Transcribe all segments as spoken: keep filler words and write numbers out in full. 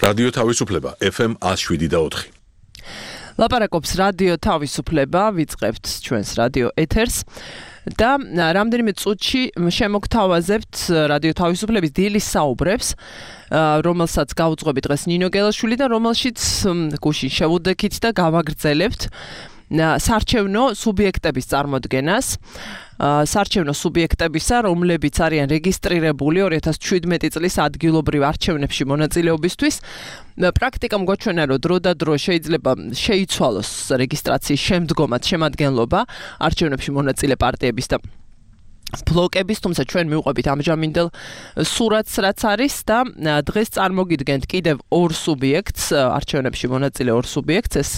რადიო თავისუფლება ეფ ემ one oh seven და four. ლაპარაკობს რადიო თავისუფლება, ვიწყებთ ჩვენს რადიო ეთერს და რამდენიმე წუთში შემოგთავაზებთ რადიო თავისუფლების დილის საუბრებს, რომელსაც გავუძღვები დღეს ნინო გელაშვილი და რომელშიც გუშინ შევუდექით და გავაგრძელებთ საარჩევნო სუბიექტების წარმოდგენას. საარჩევნო სუბიექტებისა, რომლებიც არიან რეგისტრირებული two thousand seventeen წლის ადგილობრივ არჩევნებში მონაწილეობისთვის. პრაქტიკამ გვაჩვენა, რომ დრო და დრო შეიძლება შეიცვალოს რეგისტრაციის შემდგომად შემადგენლობა არჩევნებში მონაწილე პარტიების და ბლოკების, თუმცა ჩვენ მივყვებით ამჟამინდელ სურათს, რაც არის და დღეს წარმოგიდგენთ კიდევ ორ სუბიექტს, არჩევნებში მონაწილე ორ სუბიექტს. ეს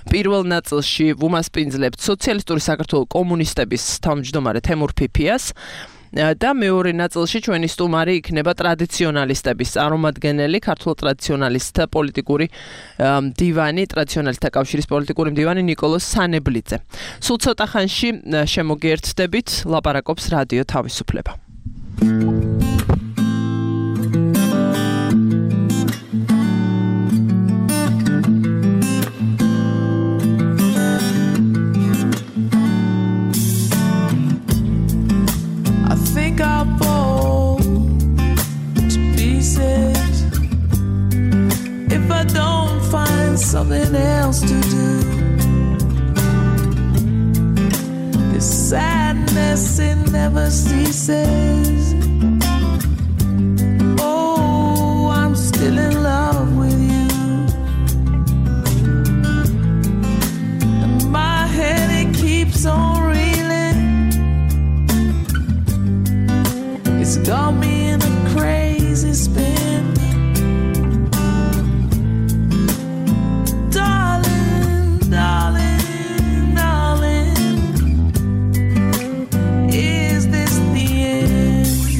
პირველ ნაწილში ვუმასპინძლებთ სოციალისტური საქართველოს კომუნისტების თავმჯდომარე თემურ ფიფიას და მეორე ნაწილში ჩვენი სტუმარი იქნება ტრადიციონალისტების წარმომადგენელი, ქართულ ტრადიციონალისტთა პოლიტიკური მდივანი, ტრადიციონალისტთა კავშირის პოლიტიკური მდივანი ნიკოლოზ სანებლიძე. სულ ცოტა ხანში შემოგიერთდებით, ლაპარაკობს რადიო თავისუფლება. I'll fall to pieces if I don't find something else to do. This sadness, it never ceases. Oh, I'm still in love with you, and my head, it keeps on reeling. It's got me in a crazy spin. Darling, darling, darling, is this the end?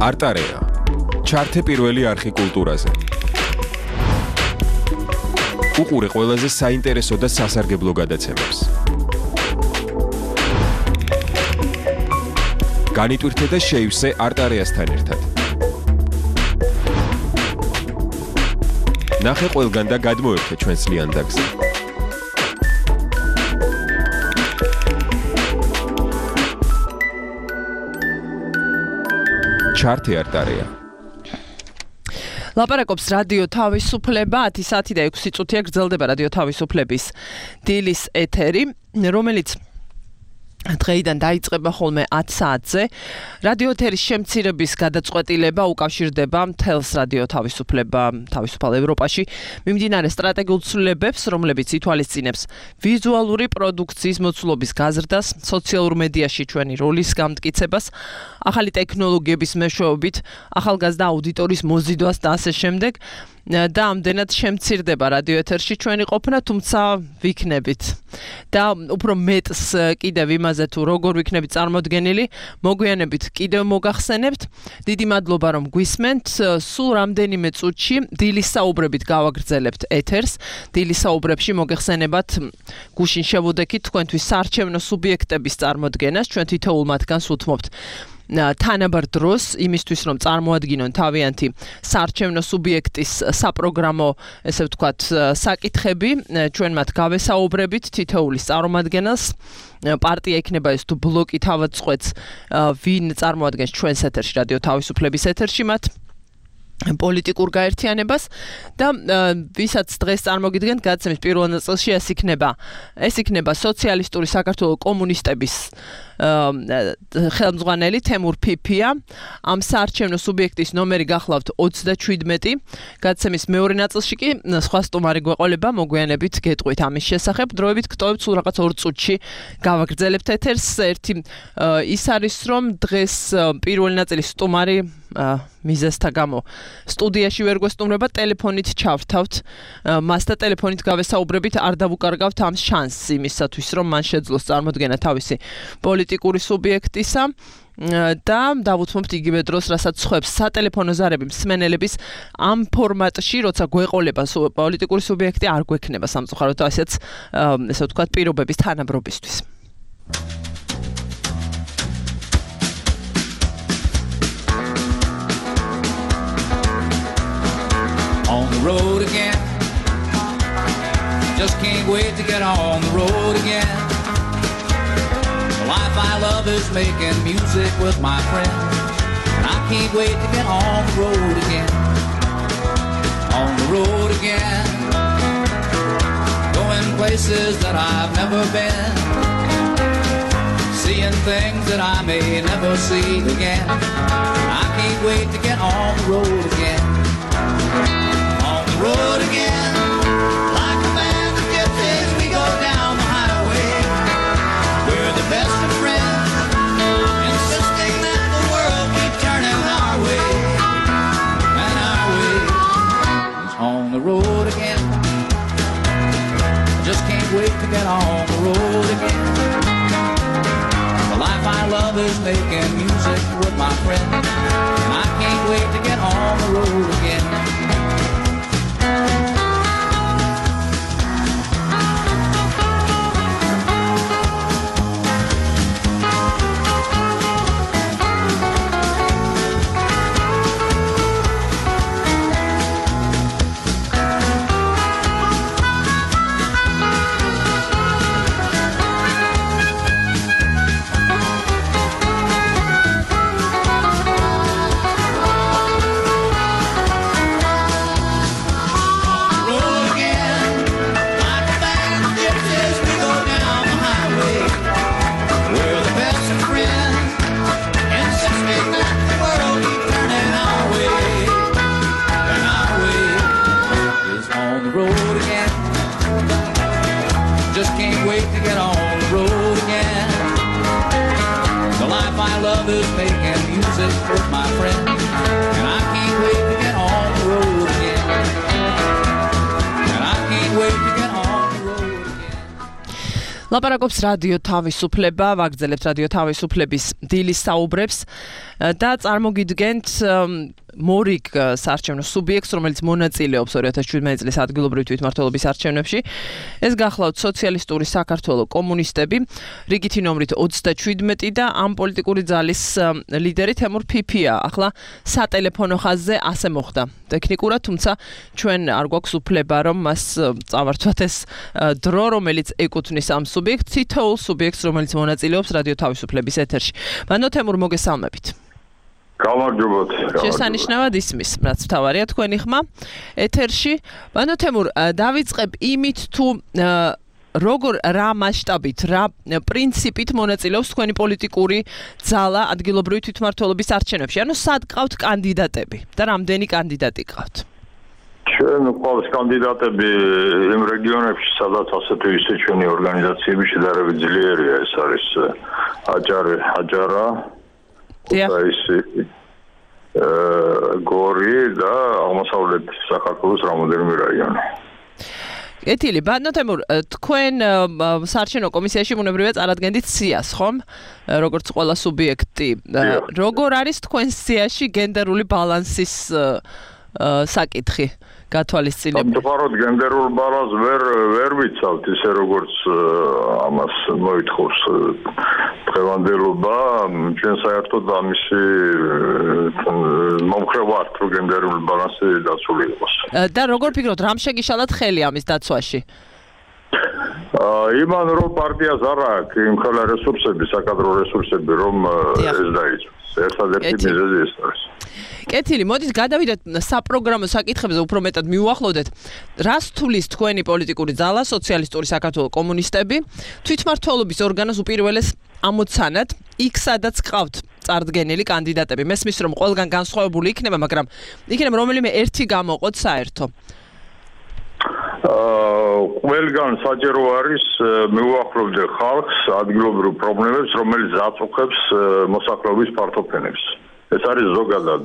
არტარეა. ჩართე პირველი არხი კულტურაზე. უყურე ყველაზე საინტერესო და სასარგებლო გადაცემებს. განიტვირთე და შეივსე არტარეასთან ერთად. ნახე ყველგან და გადმოერთე ჩვენს ლიანდაგზე. ჩართე არტარეა. ლაპარაკობს რადიო თავისუფლება, ათი საათი და ექვსი წუთია გრძელდება რადიო თავისუფლების დილის ეთერი, რომელიც დღეიდან დაიწყება ხოლმე ათი საათზე. რადიო ეთერის შემცირების გადაწყვეტილება უკავშირდება მთელს რადიო თავისუფლება თავისუფალ ევროპაში მიმდინარე სტრატეგიულ ცვლილებებს, რომლებიც ითვალისწინებს ვიზუალური პროდუქციის მოცულობის გაზრდას, სოციალურ მედიაში ჩვენი როლის გამტკიცებას, ახალი ტექნოლოგიების მეშვეობით, ახალგაზრდა აუდიტორიის მოზიდვას და ასე შემდეგ. და ამდენად შემცირდება რადიო ეთერში ჩვენი ყოფნა, თუმცა ვიქნებით. და უფრო მეტს კიდევ იმაზე თუ როგორ ვიქნებით წარმოდგენილი, მოგვიანებით კიდევ მოგახსენებთ. დიდი მადლობა რომ გვისმენთ. სულ რამდენიმე წუთში დილის საუბრებით გავაგრძელებთ ეთერს. დილის საუბრებში მოგეხსენებათ გუშინ შევუდექით თქვენთვის საარჩევნო სუბიექტების წარმოდგენას, ჩვენ თითოეულ მათგანს უთმობთ თანაბარ დროს იმისთვის რომ წარმოადგინონ თავიანთი საარჩევნო სუბიექტის საპროგრამო, ესე ვთქვათ, საკითხები, ჩვენ მათ გავესაუბრებით თითოეულის წარმომადგენელს. პარტია იქნება ეს თუ ბლოკი თავად წყვეტს ვინ წარმოადგენს ჩვენს ეთერში, რადიო თავისუფლების ეთერში მათ პოლიტიკურ გაერთიანებას და ვისაც დღეს წარმოგიდგენთ გადაცემის პირველ ნაწილში ეს იქნება ეს იქნება სოციალისტური საქართველოს კომუნისტების ხელმძღვანელი თემურ ფიფია. ამ საარჩევნო სუბიექტის ნომერი გახლავთ ოცდაშვიდმეტი. გადაცემის მეორე ნაწილში კი სხვა სტუმარი გვეყოლება, მოგვიანებით გეტყვით ამის შესახებ. დროებით გტოვებთ სულ რაღაც ორ წუთში გავაგრძელებთ ეთერს. ერთი ის არის რომ დღეს პირველი ნაწილის სტუმარი მიზესთა გამო სტუდიაში ვერ გვესტუმრება, ტელეფონით ჩავრთავთ მას და ტელეფონით გავესაუბრებით, არ დავუკარგავთ ამ შანსს იმისათვის რომ მან შეძლოს წარმოდგენა თავისი პოლიტიკური სუბიექტისა და დავუთმობთ იგივე დროს, რასაც ხვებს სატელეფონო ზარები მსმენელების ამ ფორმატში, როცა გვეყოლება პოლიტიკური სუბიექტი, არ გვექნება სამწუხაროდ ასეც ესე ვთქვათ პირობების თანაბრობისთვის. On the road again, just can't wait to get on the road again. The life I love is making music with my friends, and I can't wait to get on the road again. On the road again, going places that I've never been, seeing things that I may never see again. I can't wait to get on the road again. Road again, like a band of gypsies, we go down the highway. We're the best of friends, insisting that the world keep turning our way. And our way is on the road again. I just can't wait to get on the road again. The life I love is making music with my friends, and I can't wait to get on the road again. ლაპარაკობს რადიო თავისუფლება, ვაგრძელებთ რადიო თავისუფლების დილის საუბრებს და წარმოგიდგენთ მორიგ საარჩევნო სუბიექტს, რომელიც მონაწილეობს ორი ათას შვიდმეტი წლის ადგილობრივი თვითმმართველობის არჩევნებში. ეს გახლავთ სოციალისტური საქართველო კომუნისტები, რიგითი ნომრით ოცდაშვიდმეტი და ამ პოლიტიკური ძალის ლიდერი თემურ ფიფია. ახლა სატელეფონო ხაზზე ასე მოხდა. ტექნიკურად, თუმცა ჩვენ არ გვაქვს უფლება, რომ მას წავართვათ ეს დრო, რომელიც ეკუთვნის ამ სუბიექტს, თითოეულ სუბიექტს, რომელიც მონაწილეობს რადიო თავისუფლების ეთერში. მანო თემურ, მოგესალმებით. გამარჯობათ. შესანიშნავად ისმის, რაც მთავარია თქვენი ხმა ეთერში. მანო თემურ, დავიწყებ იმით თუ როგორ რა მასშტაბით, რა პრინციპით მონაწილეობს თქვენი პოლიტიკური ძალა ადგილობრივი თვითმმართველობის არჩევნებში? ანუ სად ყავთ კანდიდატები და რამდენი კანდიდატი ყავთ? ჩვენ ყავს კანდიდატები იმ რეგიონებში, სადაც ასეთი ისე ჩვენი ორგანიზაციები შედარებით ძლიერია. ეს არის აჭარი, აჭარა, ქუთაისი, გორი და აღმოსავლეთ საქართველოს რამდენიმე რაიონი. ეთილი, ბატონო თემურ, თქვენ საარჩევნო კომისიაში ბუნებრივია წარადგენდით სიას, ხომ? როგორც ყველა სუბიექტი. როგორ არის თქვენ სიაში გენდერული ბალანსის საკითხი გათვალისწინებული? ამგვარად გენდერულ ბალანსს ვერ ვერ ვიცავთ, ისე როგორც ამას მოითხოვს დღევანდელობა. ჩვენ საერთოდ ამისი მომხრე ვართ, რომ გენდერული ბალანსი დაცული იყოს. და როგორ ფიქრობთ, რამ შეგიშალათ ხელი ამის დაცვაში? იმან რომ პარტიას არ აქვს იმ ხელა რესურსები, საკადრო რესურსები, რომ ეს დაიცვას. ერთადერთი მიზეზი ეს არის. კეთილი, მოდით გადავიდეთ საპროგრამო საკითხებზე, უფრო მეტად მიუახლოვდეთ. რას თulis თქვენი პოლიტიკური ძალა, სოციალისტური საქართველო კომუნისტები, თვითმმართველობის ორგანოს უპირველეს ამოცანად, იქ სადაც ყავთ წარდგენილი კანდიდატები. მესმის რომ ყველგან განსხვავებული იქნება, მაგრამ იქნება რომელიმე ერთი გამოყოთ საერთო. ყველგან საჭირო არის მიუახლოვდე ხალხს ადგილობრივ პრობლემებს, რომელიც აწუხებს მოსახლეობის ფართოფენებს. ეს არის ზოგადად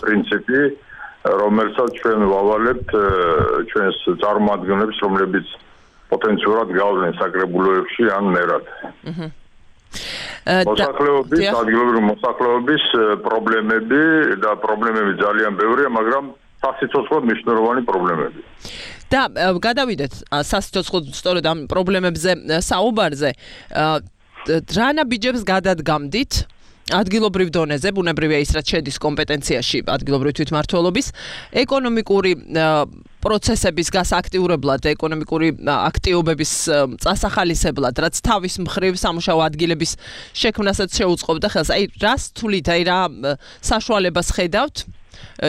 პრინციპი, რომელსაც ჩვენ ვავალებთ ჩვენს წარმომადგენლებს, რომლებიც პოტენციურად გავლენ საკრებულოებში ან მერად. მოსახლეობის, ადგილობრივი მოსახლეობის პრობლემები და პრობლემები ძალიან ბევრია, მაგრამ სასიცოცხლოდ მნიშვნელოვანი პრობლემები. და გადავიდეთ სასიცოცხლოდ სწორედ ამ პრობლემებზე საუბარზე. რა ნაბიჯებს გადადგამდით ადგილობრივ დონეზე, ბუნებრივია ის რაც შედის კომპეტენციაში ადგილობრივი თვითმმართველობის, ეკონომიკური პროცესების გასაქტიურებლად, ეკონომიკური აქტივობების წასახალისებლად, რაც თავის მხრივ სამუშაო ადგილების შექმნასაც შეუწყობდა ხელს. აი, რას თulit, აი რა საშუალებას ხედავთ?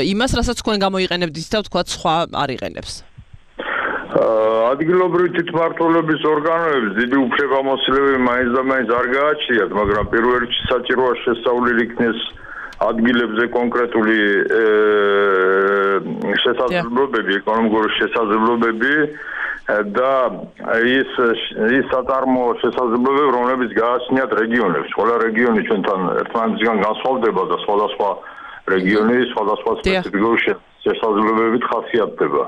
იმას, რასაც თქვენ გამოიყენებდით და თქვა სხვა არ იყენებს. ადგილობრივი თვითმმართველობის ორგანოებს დიდი უფლებამოსილები მაინც და მაინც არ გააჩნიათ, მაგრამ პირველ რიგში საჭიროა შესწავლილი იქნეს ადგილებზე კონკრეტული შესაძლებლობები, ეკონომიკური შესაძლებლობები და ის ის საწარმოო შესაძლებლობები, რომლებიც გააჩნიათ რეგიონებს. ყველა რეგიონი ჩვენთან ერთმანეთისგან განსხვავდება და სხვადასხვა რეგიონი სხვადასხვა სპეციფიკური შესაძლებლობებით ხასიათდება.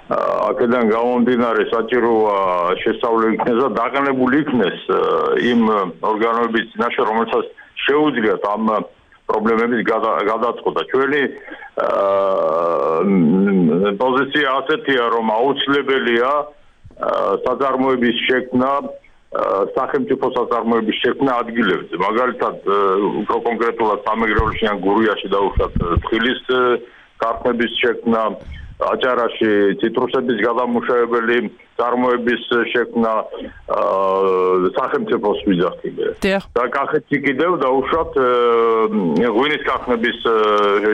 აქედან გამომდინარე საჭიროა შესწავლილი იქნეს და დაყენებული იქნეს იმ ორგანოების წინაშე, რომელსაც შეუძლიათ ამ პრობლემების გადაწყვეტა. ჩვენი პოზიცია ასეთია, რომ აუცილებელია საწარმოების შექმნა, სახელმწიფო საწარმოების შექმნა ადგილებზე. მაგალითად, უფრო კონკრეტულად სამეგრელოში ან გურიაში დაუშვათ თხილის ქარხნების შექმნა, აჭარაში ციტრუსების გადამუშავებელი წარმოების შექმნა, სახელმწიფოს ვიძახილე. და კახეთში კიდევ დაუშვათ ღვინის ქარხნების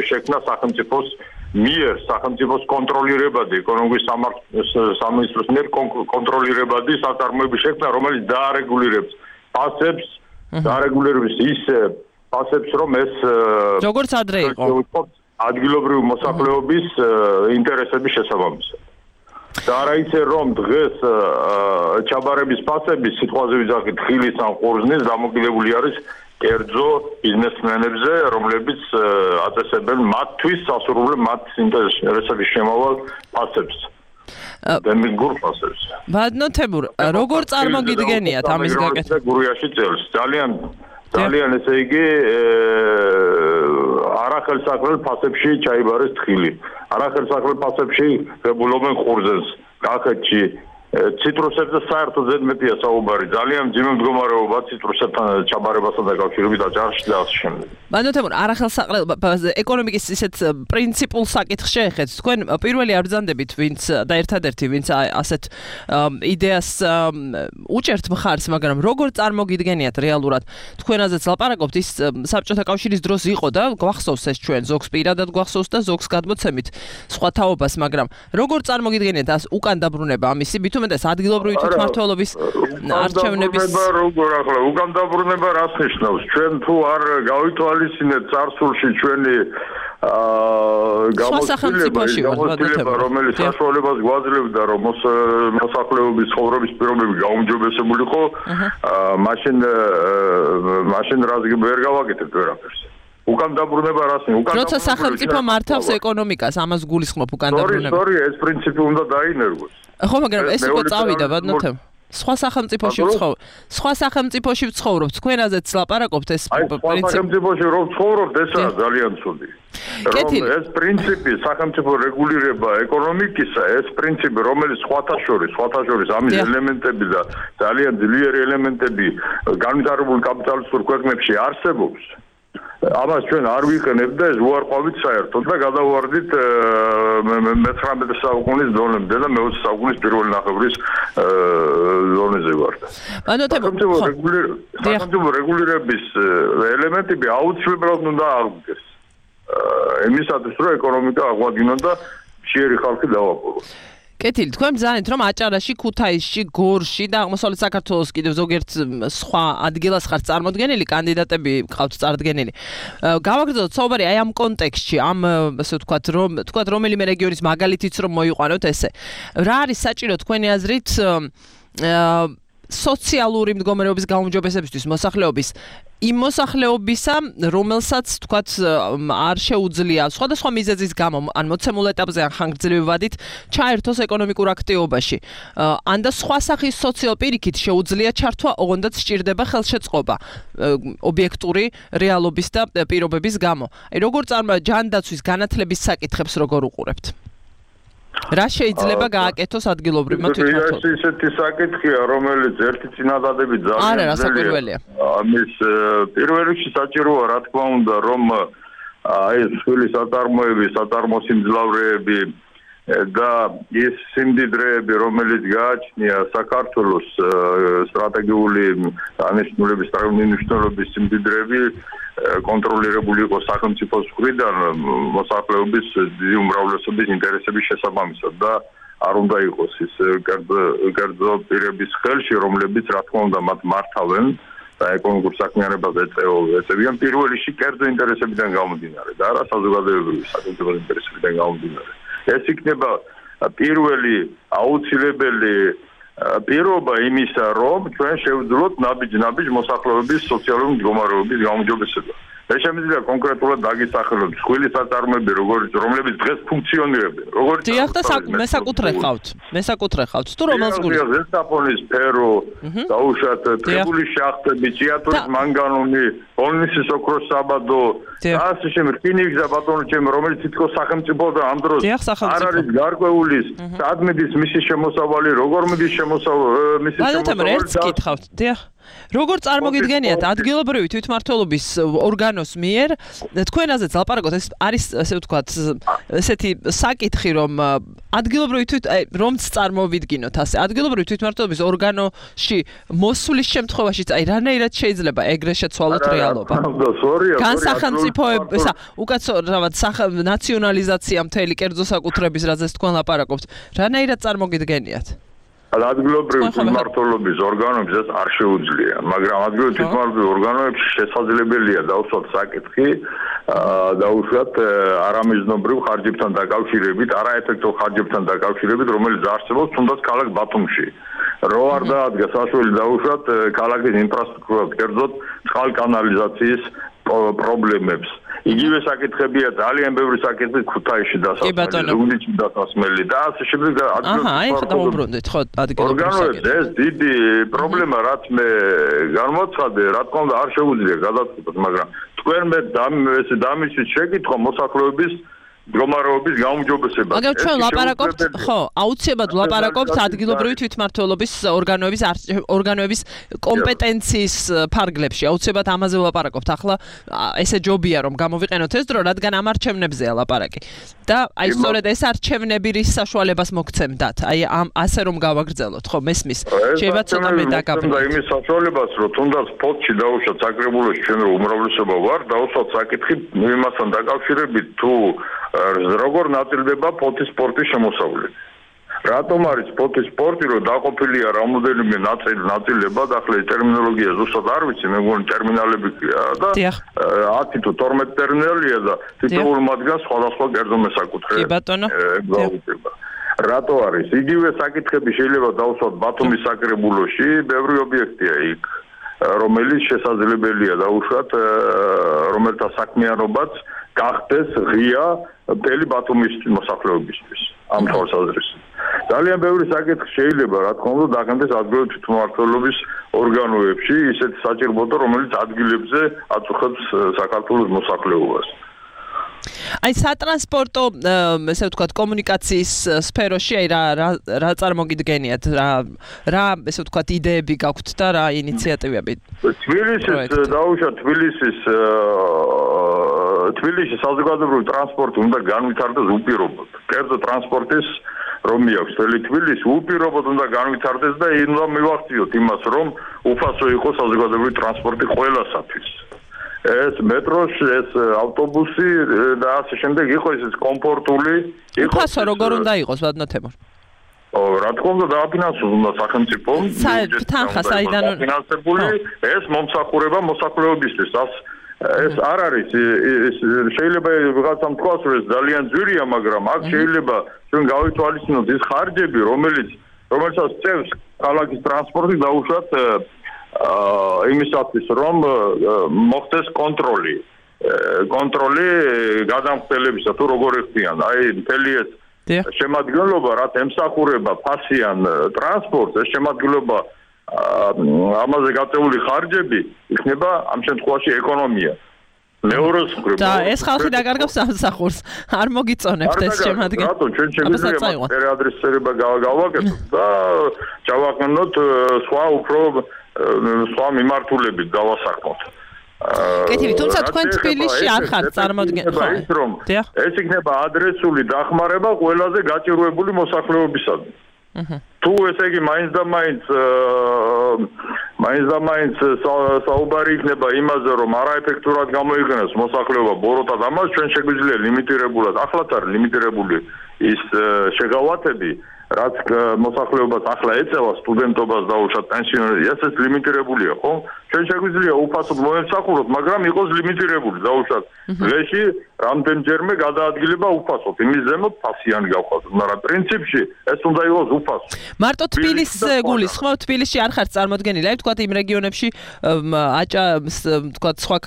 შექმნა სახელმწიფოს მიერ, სახელმწიფოს კონტროლირებადი, ეკონომიკის სამინისტროს მიერ კონტროლირებადი საწარმოების შექმნა, რომელიც დაარეგულირებს ფასებს, დაარეგულირებს ის ფასებს, რომ ეს როგორც ადრე იყო. ადგილობრივი მოსახლეობის ინტერესების შესაბამისად. და არა ისე რომ დღეს ჩაბარების ფასები სიტყვაზე ვიძახით ხილის ან ყურძნის დამოკიდებული არის კერძო ბიზნესმენებზე, რომლებიც აწესებენ მათთვის სასურველ მათ ინტერესების შემავალ ფასებს. დემის გურფასებს. ბატონო თემურ, როგორ წარმოგიდგენიათ ამის გაკეთება? გურიაში წელს ძალიან ძალიან ესე იგი არახელსაყრელ ფასებში ჩაიბარეს თხილი. არახელსაყრელ ფასებში ღებულობენ ხურზენს, კახეთში ციტრუსებზე საერთოდ ზედმეტია საუბარი. ძალიან მძიმე მდგომარეობა ციტრუსებთან ჩაბარებასთან დაკავშირებით აჭარაში და ასე შემდეგ. ბატონო თემურ, არახელსაყრელ ეკონომიკის ისეთ პრინციპულ საკითხს შეეხეთ. თქვენ პირველი არ ბრძანდებით, ვინც და ერთადერთი, ვინც ასეთ იდეას უჭერთ მხარს, მაგრამ როგორ წარმოგიდგენიათ რეალურად? თქვენაზეც ლაპარაკობთ, ის საბჭოთა კავშირის დროს იყო და გვახსოვს ეს ჩვენ ზოგს პირადად გვახსოვს და ზოგს გადმოცემით სხვა თაობას, მაგრამ როგორ წარმოგიდგენიათ ას უკან დაბრუნება ამისი? ეს ადგილობრივი თვითმმართველობის არჩევნების როგორ ახლა უკან დაბრუნება რას ნიშნავს? ჩვენ თუ არ გავითვალისწინეთ წარსულში ჩვენი გამოცდილება, რომელიც საშუალებას გვაძლევდა, რომ მოსახლეობის ცხოვრების პირობები გაუმჯობესებული იყო, მაშინ მაშინ რას ვერ გავაკეთებთ ვერაფერს. უკან დაბრუნება რას ნიშნავს? როცა სახელმწიფო მართავს ეკონომიკას, ამას გულისხმობ უკან დაბრუნება. სორი, სორი, ეს პრინციპი უნდა დაინერგოს. ხო, მაგრამ ეს უკვე წავიდა, ბატონო თემ. სხვა სახელმწიფოში ვცხოვრობ. სხვა სახელმწიფოში ვცხოვრობ. თქვენაზეც ლაპარაკობთ ეს პრინციპი. სხვა სახელმწიფოში რომ ვცხოვრობთ, ესაა ძალიან ცუდი. რომ ეს პრინციპი სახელმწიფო რეგულირება ეკონომიკისა, ეს პრინციპი, რომელიც სხვათა შორის, სხვათა შორის ამის ელემენტები და ძალიან ძლიერი ელემენტები განვითარებულ კაპიტალისტურ ქვეყნებში არსებობს. ამას ჩვენ არ ვიყენებთ და ეს უარყვავით საერთოდ და გადავარდით მეცხრამეტე საუკუნის დონემდე და მეოცე საუკუნის პირველი ნახევრის დონეზე ვართ. სახელმწიფო რეგულირების ელემენტები აუცილებლად უნდა აღდგეს. იმისათვის რომ ეკონომიკა აღვადგინონ და მშიერი ხალხი დავაპყრობოთ. კეთილი, თქვენ ბრძანეთ, რომ აჭარაში, ქუთაისში, გორში და აღმოსავლეთ საქართველოს კიდევ ზოგიერთ სხვა ადგილას ხართ წარმოდგენილი, კანდიდატები გყავთ წარდგენილი. გავაგრძელოთ საუბარი აი ამ კონტექსტში, ამ ასე ვთქვათ, რომ თქვათ რომელიმე რეგიონის მაგალითიც რომ მოიყვანოთ ესე. რა არის საჭირო თქვენი აზრით სოციალური მდგომარეობის გაუმჯობესებისთვის მოსახლეობის იმ მოსახლეობისა, რომელსაც თქვათ არ შეუძლია სხვადასხვა მიზეზის გამო, ან მოცემულ ეტაპზე ან ხანგრძლივი ვადით ჩაერთოს ეკონომიკურ აქტივობაში. ან და სხვა სახის სოციალ პირიქით შეუძლია ჩართვა, ოღონდაც სჭირდება ხელშეწყობა ობიექტური რეალობის და პირობების გამო. აი როგორ წარმო ჯანდაცვის განათლების საკითხებს როგორ უყურებთ? რა შეიძლება გააკეთოს ადგილობრივმა თვითმმართველობამ? ეს ისეთი საკითხია, რომელიც ერთი წინადადებით ძალიან ძლიერი. ამის პირველ რიგში საჭიროა, რა თქმა უნდა, რომ აი ეს სხვილი საწარმოები, საწარმოსიმძლავრეები და ის სიმდიდრეები, რომელიც გააჩნია საქართველოს სტრატეგიული დანიშნულების, მნიშვნელობის სიმდიდრეები კონტროლირებული იყო სახელმწიფოს მხრიდან მოსახლეობის დიდი უმრავლესობის ინტერესების შესაბამისად და არ უნდა იყოს ის კერძო პირების ხელში, რომლებიც რა თქმა უნდა მათ მართავენ და ეკონომიკურ საქმიანობას ეწევიან პირველ რიგში კერძო ინტერესებიდან გამომდინარე და არა საზოგადოებრივი სახელმწიფო ინტერესებიდან გამომდინარე. ეს იქნება პირველი აუცილებელი პირობა იმისა, რომ ჩვენ შევძლოთ ნაბიჯ-ნაბიჯ მოსახლეობის სოციალური მდგომარეობის გაუმჯობესება. ეს შემიძლია კონკრეტულად დაგისახელოთ სხვილი საწარმოები, რომლებიც დღეს ფუნქციონირებენ. როგორც დიახ და მესაკუთრე ხავთ. მესაკუთრე ხავთ. თუ რომელს გული? ზესტაფონის სფერო, დაუშვათ ტრიბული შახტები, ჭიათურის მანგანუმი, პოლნისის ოქროს საბადო, ასე შემდეგ, რკინიგზა და ბატონო ჩემი, რომელიც თითქოს სახელმწიფო და ამ დროს არ არის გარკვეული ადმედის მისი შემოსავალი, როგორ მიდის შემოსავალი, მისი შემოსავალი. ერთს კითხავთ. დიახ. როგორ წარმოგიდგენიათ ადგილობრივი თვითმმართველობის ორგანოს მიერ თქვენაზეც ლაპარაკობთ, ეს არის ასე ვთქვათ ესეთი საკითხი, რომ ადგილობრივი თვით რომც წარმოვიდგინოთ ასე ადგილობრივი თვითმმართველობის ორგანოში მოსვლის შემთხვევაშიც აი რანაირად შეიძლება ეგრე შეცვალოთ რეალობა? განსახელმწიფოებისა, უკაცრავად ნაციონალიზაცია მთელი კერძო საკუთრების, რაზეც თქვენ ლაპარაკობთ, რანაირად წარმოგიდგენიათ? ადგილობრივი თვითმმართველობის ორგანოებს ეს არ შეუძლია, მაგრამ ადგილობრივი თვითმმართველობის ორგანოებში შესაძლებელია დავსვათ საკითხი, დაუშვათ არამიზნობრივ ხარჯებთან დაკავშირებით, არაეფექტურ ხარჯებთან დაკავშირებით, რომელიც არსებობს თუნდაც ქალაქ ბათუმში. რო არ დაადგა საშუალო დაუშვათ ქალაქის ინფრასტრუქტურას, კერძოდ წყალკანალიზაციის პრობლემებს. იგივე საკითხებია ძალიან ბევრი საკითხი ქუთაისში დასასმელი, ზუგდიდში დასასმელი და ასე შემდეგ და აჰა, აი ხა დაუბრუნდით ხო ადგილობრივ ორგანოებს ეს დიდი პრობლემა რაც მე გამოცხადე, რა თქმა უნდა არ შეუძლია გადაწყვეტოს, მაგრამ თქვენ მე ეს დამისვით შეკითხვა მოსახლეობის მდგომარეობის გაუმჯობესება. მაგრამ ჩვენ ლაპარაკობთ, ხო, აუცილებლად ლაპარაკობთ ადგილობრივი თვითმმართველობის ორგანოების ორგანოების კომპეტენციის ფარგლებში. აუცილებლად ამაზე ვლაპარაკობთ. ახლა ესე ჯობია რომ გამოვიყენოთ ეს დრო, რადგან ამ არჩევნებზეა ლაპარაკი. და აი სწორედ ეს არჩევნები რის საშუალებას მოგცემდათ. აი ამ ასე რომ გავაგრძელოთ, ხო, მესმის. შეიძლება ცოტა მე დაგაბნოთ. იმის საშუალებას რომ თუნდაც ფოტში დაუშვათ საკრებულოში ჩვენ რომ უმრავლესობა ვარ, დაუშვათ საკითხი იმასთან დაკავშირებით თუ როგორ ნაწილდება ფოთის სპორტის შემოსავლები. რატომ არის ფოთის სპორტი, რომ დაყოფილია რამოდენიმე ნაწილ ნაწილებად, ახლა ეს ტერმინოლოგია ზუსტად არ ვიცი, მე მგონი ტერმინალებია და ათი თუ თორმეტი ტერმინალია და თითოეულ მათგანს სხვადასხვა კერძო მესაკუთრე. კი ბატონო. რატო არის? იგივე საკითხები შეიძლება დავუსვათ ბათუმის საკრებულოში, ბევრი ობიექტია იქ, რომელიც შესაძლებელია დაუშვათ, რომელთა საქმიანობაც გახდეს ღია მთელი ბათუმის მოსახლეობისთვის ამ თვალსაზრისით. ძალიან ბევრი საკითხი შეიძლება რა თქმა უნდა დაგანდეს ადგილობრივი თვითმმართველობის ორგანოებში, ისეთი საჭიროებო, რომელიც ადგილებზე აწუხებს საქართველოს მოსახლეობას. აი სატრანსპორტო, ესე ვთქვათ, კომუნიკაციის სფეროში აი რა რა წარმოგიდგენიათ, რა რა ესე ვთქვათ, იდეები გაქვთ და რა ინიციატივები? თბილისის დაუშვათ თბილისის თბილისის საზოგადოებრივი ტრანსპორტი უნდა განვითარდეს უპირობოდ. კერძო ტრანსპორტის რომ მიაქვს მთელი თბილისი უპირობოდ უნდა განვითარდეს და უნდა მივახციოთ იმას, რომ უფასო იყოს საზოგადოებრივი ტრანსპორტი ყველასათვის. ეს მეტროში, ეს ავტობუსი და ასე შემდეგ იყოს ეს კომფორტული, იყოს უფასო როგორ უნდა იყოს, ბატონო თემურ? ო, რა თქმა უნდა დააფინანსოს უნდა სახელმწიფო. თანხა საიდან დაფინანსებული ეს მომსახურება მოსახლეობისთვის. ეს არ არის შეიძლება ვიღაცამ თქვას რომ ეს ძალიან ძვირია, მაგრამ აქ შეიძლება ჩვენ გავითვალისწინოთ ის ხარჯები, რომელიც რომელსაც წევს ქალაქის ტრანსპორტი დაუშვათ იმისათვის რომ მოხდეს კონტროლი. კონტროლი გადამხდელებისა თუ როგორ ეხდიან. აი მთელი ეს შემადგენლობა რაც ემსახურება ფასიან ტრანსპორტს, ეს შემადგენლობა ამაზე გაწეული ხარჯები იქნება ამ შემთხვევაში ეკონომია. მეორეს მხრივ და ეს ხალხი დაკარგავს სამსახურს. არ მოგიწონებთ ეს შემადგენლობა. რატო ჩვენ შეგვიძლია პერიადრესება გავაკეთოთ და ჩავაყენოთ სხვა უფრო სხვა მიმართულებით გავასახმოთ. კეთილი, თუმცა თქვენ თბილისში არ ხართ წარმოდგენ ხო? ეს იქნება ადრესული დახმარება ყველაზე გაჭირვებული მოსახლეობისადმი. თუ ესე იგი მაინც და მაინც მაინც და მაინც საუბარი იქნება იმაზე, რომ არაეფექტურად გამოიყენოს მოსახლეობა ბოროტად, ამას ჩვენ შეგვიძლია ლიმიტირებულად, ახლაც არის ლიმიტირებული ის შეღავათები, რაც მოსახლეობას ახლა ეწევა სტუდენტობას დაუშვათ პენსიონერებს, ესეც ლიმიტირებულია, ხო? ჩვენ შეგვიძლია უფასოდ მოემსახუროთ, მაგრამ იყოს ლიმიტირებული, დაუშვათ დღეში რამდენჯერმე გადაადგილება უფასოდ, იმის ზემოთ ფასიანი გავხადოთ, მაგრამ პრინციპში ეს უნდა იყოს უფასო. მარტო თბილისს გულისხმობ, თბილისში არ ხართ წარმოდგენილი, აი ვთქვათ იმ რეგიონებში აჭა ვთქვათ სხვა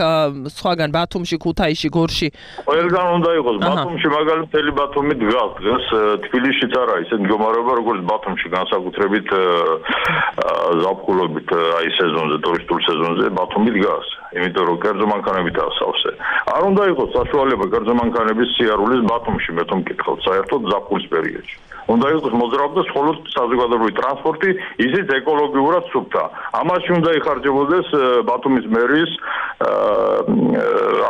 სხვაგან ბათუმში, ქუთაისში, გორში. ყველგან უნდა იყოს, ბათუმში მაგალითად მთელი ბათუმი დგას, დღეს თბილისშიც არა ისეთ მდგომარეობა როგორც ბათუმში, განსაკუთრებით ზაფხულობით აი სეზონზე, ტურისტულ სეზონზე ბათუმი დგას, იმიტომ რომ კერძო მანქანებით ასავსე. არ უნდა იყოს საშუალება კერძო მანქანების სიარულის ბათუმში, მე თვითონ მკითხავთ, საერთოდ ზაფხულის პერიოდში. უნდა იყოს მოძრაობდა მხოლოდ საზოგადოებრივი ტრანსპორტი, ისიც ეკოლოგიურად სუფთა. ამაში უნდა იხარჯებოდეს ბათუმის მერის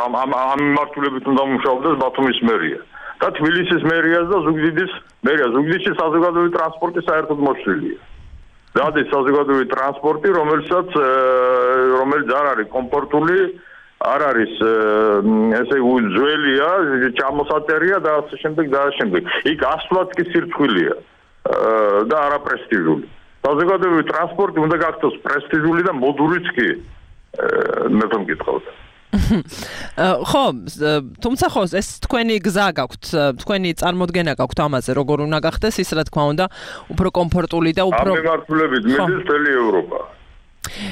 ამ ამ ამ მიმართულებით უნდა მუშაობდეს ბათუმის მერია. და თბილისის მერიას და ზუგდიდის მერია. ზუგდიდში საზოგადოებრივი ტრანსპორტი საერთოდ მოშლილია. დადის საზოგადოებრივი ტრანსპორტი, რომელსაც რომელიც არ არის კომფორტული, არ არის ესე უძველია, ჩამოსაწერია და ასე შემდეგ და ასე შემდეგ. იქ ასვლაც კი სირცხვილია და არა პრესტიჟული. საზოგადოებრივი ტრანსპორტი უნდა გახდეს პრესტიჟული და მოდულიც კი. მე თვითონ მკითხავთ. ხო, თუმცა ხო, ეს თქვენი გზა გაქვთ, თქვენი წარმოდგენა გაქვთ ამაზე, როგორ უნდა გახდეს ის, რა თქმა უნდა, უფრო კომფორტული და უფრო ამ მიმართულებით მიდის მთელი ევროპა.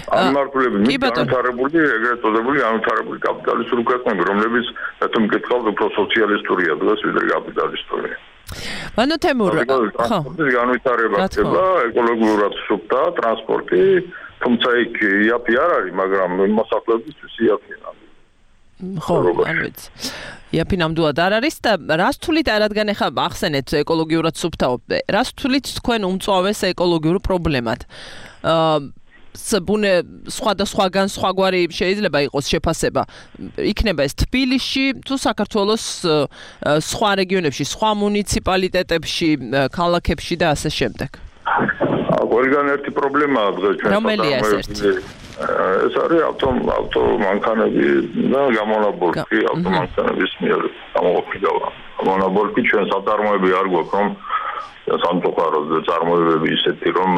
ამ მართლები განვითარებული, ეგრეთ წოდებული განვითარებული კაპიტალისტური ქვეყნები, რომლებიც თუმ მკითხავთ უფრო სოციალისტურია დღეს ვიდრე კაპიტალისტური. მანო თემურ, ხო. ტრანსპორტის განვითარება ხდება, ეკოლოგიურად სუფთა ტრანსპორტი, თუმცა იქ იაფი არ არის, მაგრამ მოსახლეობისთვის იაფია. ხო, არ ვიცი. იაფი ნამდვილად არ არის და რას თulit რადგან ახლა ახსენეთ ეკოლოგიურად სუფთაობა, რას თulit თქვენ უმწვავეს ეკოლოგიურ პრობლემად? აა ბუნე სხვადასხვაგან სხვაგვარი შეიძლება იყოს შეფასება. იქნება ეს თბილისში თუ საქართველოს სხვა რეგიონებში, სხვა მუნიციპალიტეტებში, ქალაქებში და ასე შემდეგ. ყველგან ერთი პრობლემაა დღეს ჩვენ. რომელია ეს ერთი? ეს არის ავტო ავტომანქანები და გამონაბოლქვი ავტომანქანების მიერ გამოყოფილი. გამონაბოლქვი ჩვენ საწარმოები არ გვაქვს, რომ სამწუხაროდ წარმოებები ისეთი რომ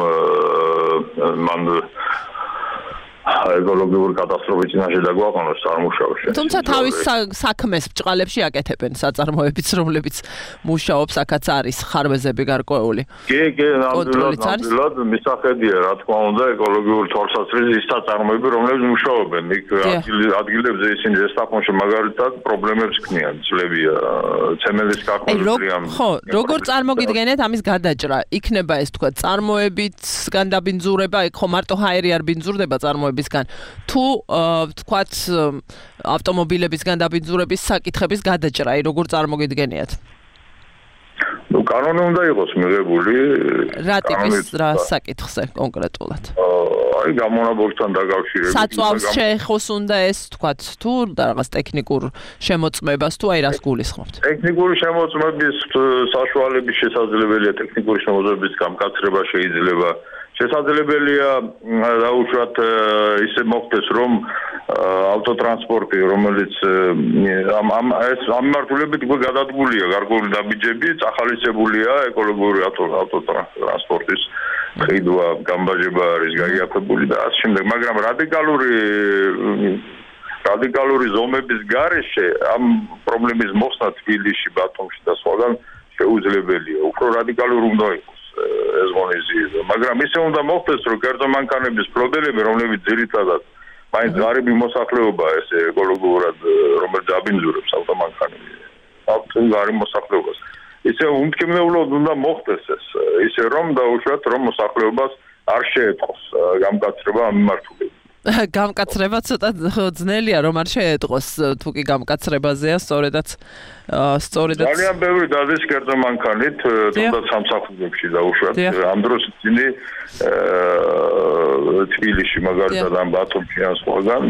მან ეკოლოგიური კატასტროფის წინაშე დაგვაყენოს წარმუშავში. თუმცა თავის საქმეს ბჭყალებში აკეთებენ საწარმოებიც, რომლებიც მუშაობს, აქაც არის ხარვეზები გარკვეული. კი, კი, ნამდვილად მისახედია, რა თქმა უნდა, ეკოლოგიური თვალსაზრისით ის საწარმოები, რომლებიც მუშაობენ. იქ ადგილებზე ისინი ზესტაფონში მაგალითად პრობლემებს ქმნიან, ძლებია, ცემენტის კახმოძრიან. ხო, როგორ წარმოგიდგენთ ამის გადაჭრა? იქნება ეს თქვა წარმოებით განდაბინძურება, იქ ხო მარტო ჰაერი არ ბინძურდება წარმოებით თუ თქვათ ავტომობილებისგან დაბინძურების საკითხების გადაჭრა, აი როგორ წარმოგიდგენიათ? ნუ კანონი უნდა იყოს მიღებული. რა ტიპის რა საკითხზე კონკრეტულად? აი გამონაბოლქვთან დაკავშირებით. საწვავს შეეხოს უნდა ეს თქვათ თუ რაღაც ტექნიკურ შემოწმებას თუ აი რას გულისხმობთ? ტექნიკური შემოწმების საშუალების შესაძლებელია, ტექნიკური შემოწმების გამკაცრება შეიძლება. შესაძლებელია დაუშვათ ისე მოხდეს რომ ავტოტრანსპორტი რომელიც ამ ამ ეს ამ მარტულებით გადადგულია გარკვეული დაბიჯები წახალისებულია ეკოლოგიური ავტოტრანსპორტის ყიდვა გამბაჟება არის გაიაფებული და ასე შემდეგ მაგრამ რადიკალური რადიკალური ზომების გარეშე ამ პრობლემის მოხსნა თბილისში ბათუმში და სხვაგან შეუძლებელია უფრო რადიკალური უნდა იყოს ეს მონიზი მაგრამ ისე უნდა მოხდეს რომ კერძო მანქანების ფლოტელები რომლებიც ძირითადად მაინც ღარიბი მოსახლეობა ეს ეკოლოგიურად რომელიც აბინძურებს ავტომანქანები ავტო ღარიბ მოსახლეობას ისე უმკმნევლად უნდა მოხდეს ეს ისე რომ დაუშვათ რომ მოსახლეობას არ შეეწყოს გამკაცრება ამ მიმართულებით გამკაცრება ცოტა ძნელია რომ არ შეეტყოს თუ კი გამკაცრებაზეა სწორედაც სწორედაც ძალიან ბევრი დადის კერძო მანქანით თუნდაც სამსახურებში დაუშვათ ამ დროს ისინი თბილისში მაგალითად ამ ბათუმში ან სხვაგან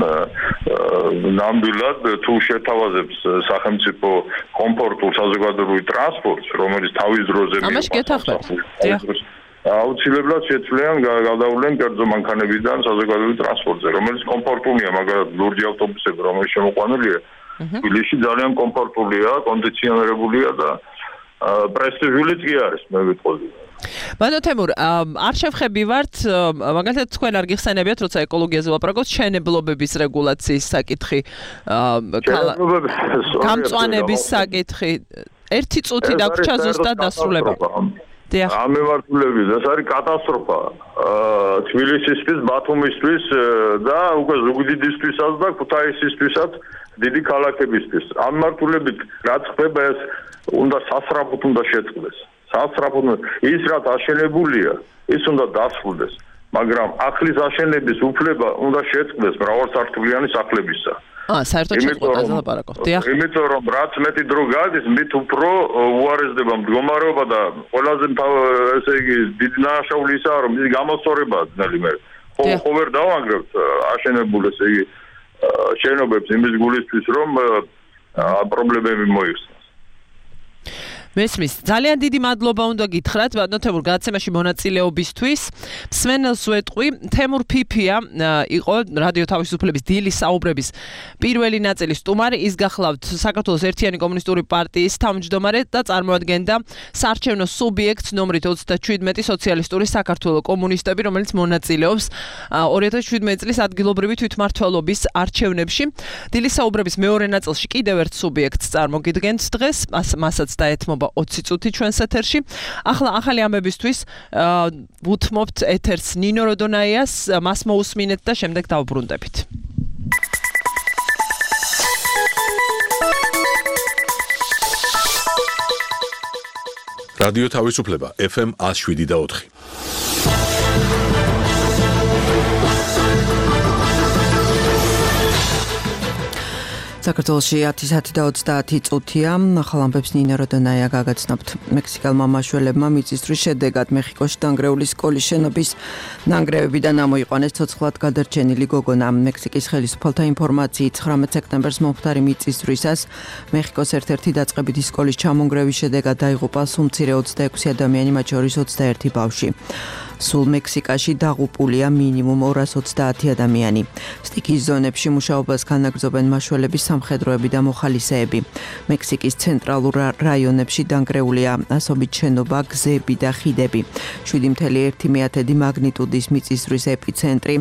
ნამდვილად თუ შეთავაზებს სახელმწიფო კომფორტულ საზოგადოებრივ ტრანსპორტს რომელიც თავის დროზე ამაში გეთახმებით აუცილებლად შეცვლიან გადავლენ კერძო მანქანებიდან საზოგადოებრივ ტრანსპორტზე, რომელიც კომფორტულია, მაგალითად ლურჯი ავტობუსები, რომელიც შემოყვანილია, თბილისში ძალიან კომფორტულია, კონდიციონირებულია და პრესტიჟულიც კი არის, მე ვიტყოდი. ბანო თემურ, არ შევხებივართ, მაგალითად თქვენ არ გიხსენებიათ, როცა ეკოლოგიაზე ვლაპარაკობთ, შენებლობების რეგულაციის საკითხი, გამწვანების საკითხი, ერთი წუთი დაგვრჩა ზუსტად დასრულება. ამ მიმართულებით ეს არის კატასტროფა თბილისისთვის, ბათუმისთვის და უკვე ზუგდიდისთვისაც და ქუთაისისთვისაც დიდი ქალაქებისთვის. ამ მიმართულებით რაც ხდება ეს უნდა სასწრაფოდ უნდა შეწყდეს. სასწრაფოდ ის რაც აშენებულია, ის უნდა დასრულდეს, მაგრამ ახლის აშენების უფლება უნდა შეწყდეს მრავალსართულიანი სახლებისა. აა, საერთოდ შეწყობაზე ლაპარაკობთ. დიახ. იმიტომ რომ რაც მეტი დრო გადის, მით უფრო უარესდება მდგომარეობა და ყველაზე ესე იგი დიდი ნაშაული ისაა, რომ ის გამოსწორებაა ძნელი მე. ხო, ხო ვერ დავანგრევთ აშენებულ ესე იგი შენობებს იმის გულისთვის, რომ პრობლემები მოიხსნას. მესმის, ძალიან დიდი მადლობა უნდა გითხრათ, ბატონო თემურ, გადაცემაში მონაწილეობისთვის. მსმენელს ვეტყვი, თემურ ფიფია იყო რადიო თავისუფლების დილის საუბრების პირველი ნაწილის სტუმარი, ის გახლავთ საქართველოს ერთიანი კომუნისტური პარტიის თავმჯდომარე და წარმოადგენდა საარჩევნო სუბიექტს ნომრით ოცდაშვიდმეტი სოციალისტური საქართველოს კომუნისტები, რომელიც მონაწილეობს ორი ათას შვიდმეტი წლის ადგილობრივი თვითმმართველობის არჩევნებში. დილის საუბრების მეორე ნაწილში კიდევ ერთ სუბიექტს წარმოგიდგენთ დღეს, მასაც დაეთმობა განმავლობა ოცი წუთი ჩვენს ეთერში. ახლა ახალი ამბებისთვის ვუთმობთ ეთერს ნინო როდონაიას, მას მოусმინეთ და შემდეგ დავბრუნდებით. რადიო თავისუფლება ეფ ემ one oh seven და four. საქართველოში ათი საათი და ოცდაათი წუთია. ახალ ამბებს ნინო როდონაია გაგაცნობთ. მექსიკელმა მაშველებმა მიწისძვრის შედეგად მეხიკოში დანგრეული სკოლის შენობის ნანგრევებიდან ამოიყვანეს ცოცხლად გადარჩენილი გოგონა. მექსიკის ხელისუფალთა ინფორმაციით ცხრამეტ სექტემბერს მომხდარი მიწისძვრისას მეხიკოს ერთ-ერთი დაწყებითი სკოლის ჩამონგრევის შედეგად დაიღუპა სულ მცირე ოცდაექვსი ადამიანი, მათ შორის ოცდაერთი ბავშვი. სულ მექსიკაში დაღუპულია მინიმუმ ორას ოცდაათი ადამიანი. სტიქიის ზონებში მუშაობას განაგრძობენ მაშველების სამხედროები და მოხალისეები. მექსიკის ცენტრალურ რაიონებში დანგრეულია ასობით შენობა, გზები და ხიდები. შვიდი კoma ერთი მაგნიტუდის მიწისძვრის ეპიცენტრი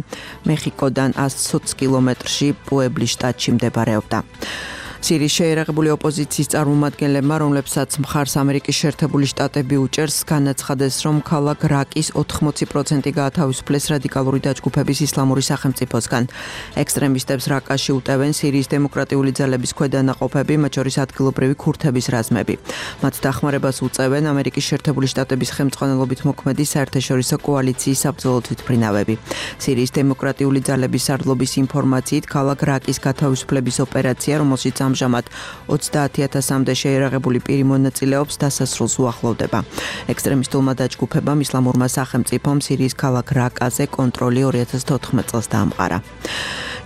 მეხიკოდან ათს კილომეტრში პუებლის შტატში მდებარეობდა. სირიის შეერაღებული ოპოზიციის წარმომადგენლებმა, რომლებსაც მხარს ამერიკის შეერთებული შტატები უჭერს, განაცხადეს, რომ ქალაქ რაკის ოთხმოცი პროცენტი გაათავისუფლეს რადიკალური დაჯგუფების ისლამური სახელმწიფოსგან. ექსტრემისტებს რაკაში უტევენ სირიის დემოკრატიული ძალების ქვედანაყოფები, მათ შორის ადგილობრივი ქურთების რაზმები. მათ დახმარებას უწევენ ამერიკის შეერთებული შტატების ხელმძღვანელობით მოქმედი საერთაშორისო კოალიციის საბრძოლო თვითმფრინავები. სირიის დემოკრატიული ძალების სარდლობის ინფორმაციით, ქალაქ რაკის გათავისუფლების ოპერაცია, რომელშიც ამჟამად ოცდაათი ათასამდე შეერაღებული პირი მონაწილეობს, დასასრულს უახლოვდება. ექსტრემისტულმა დაჯგუფებამ ისლამურმა სახელმწიფომ სირიის ქალაქ რაკაზე კონტროლი ორი ათას თოთხმეტ წელს დაამყარა.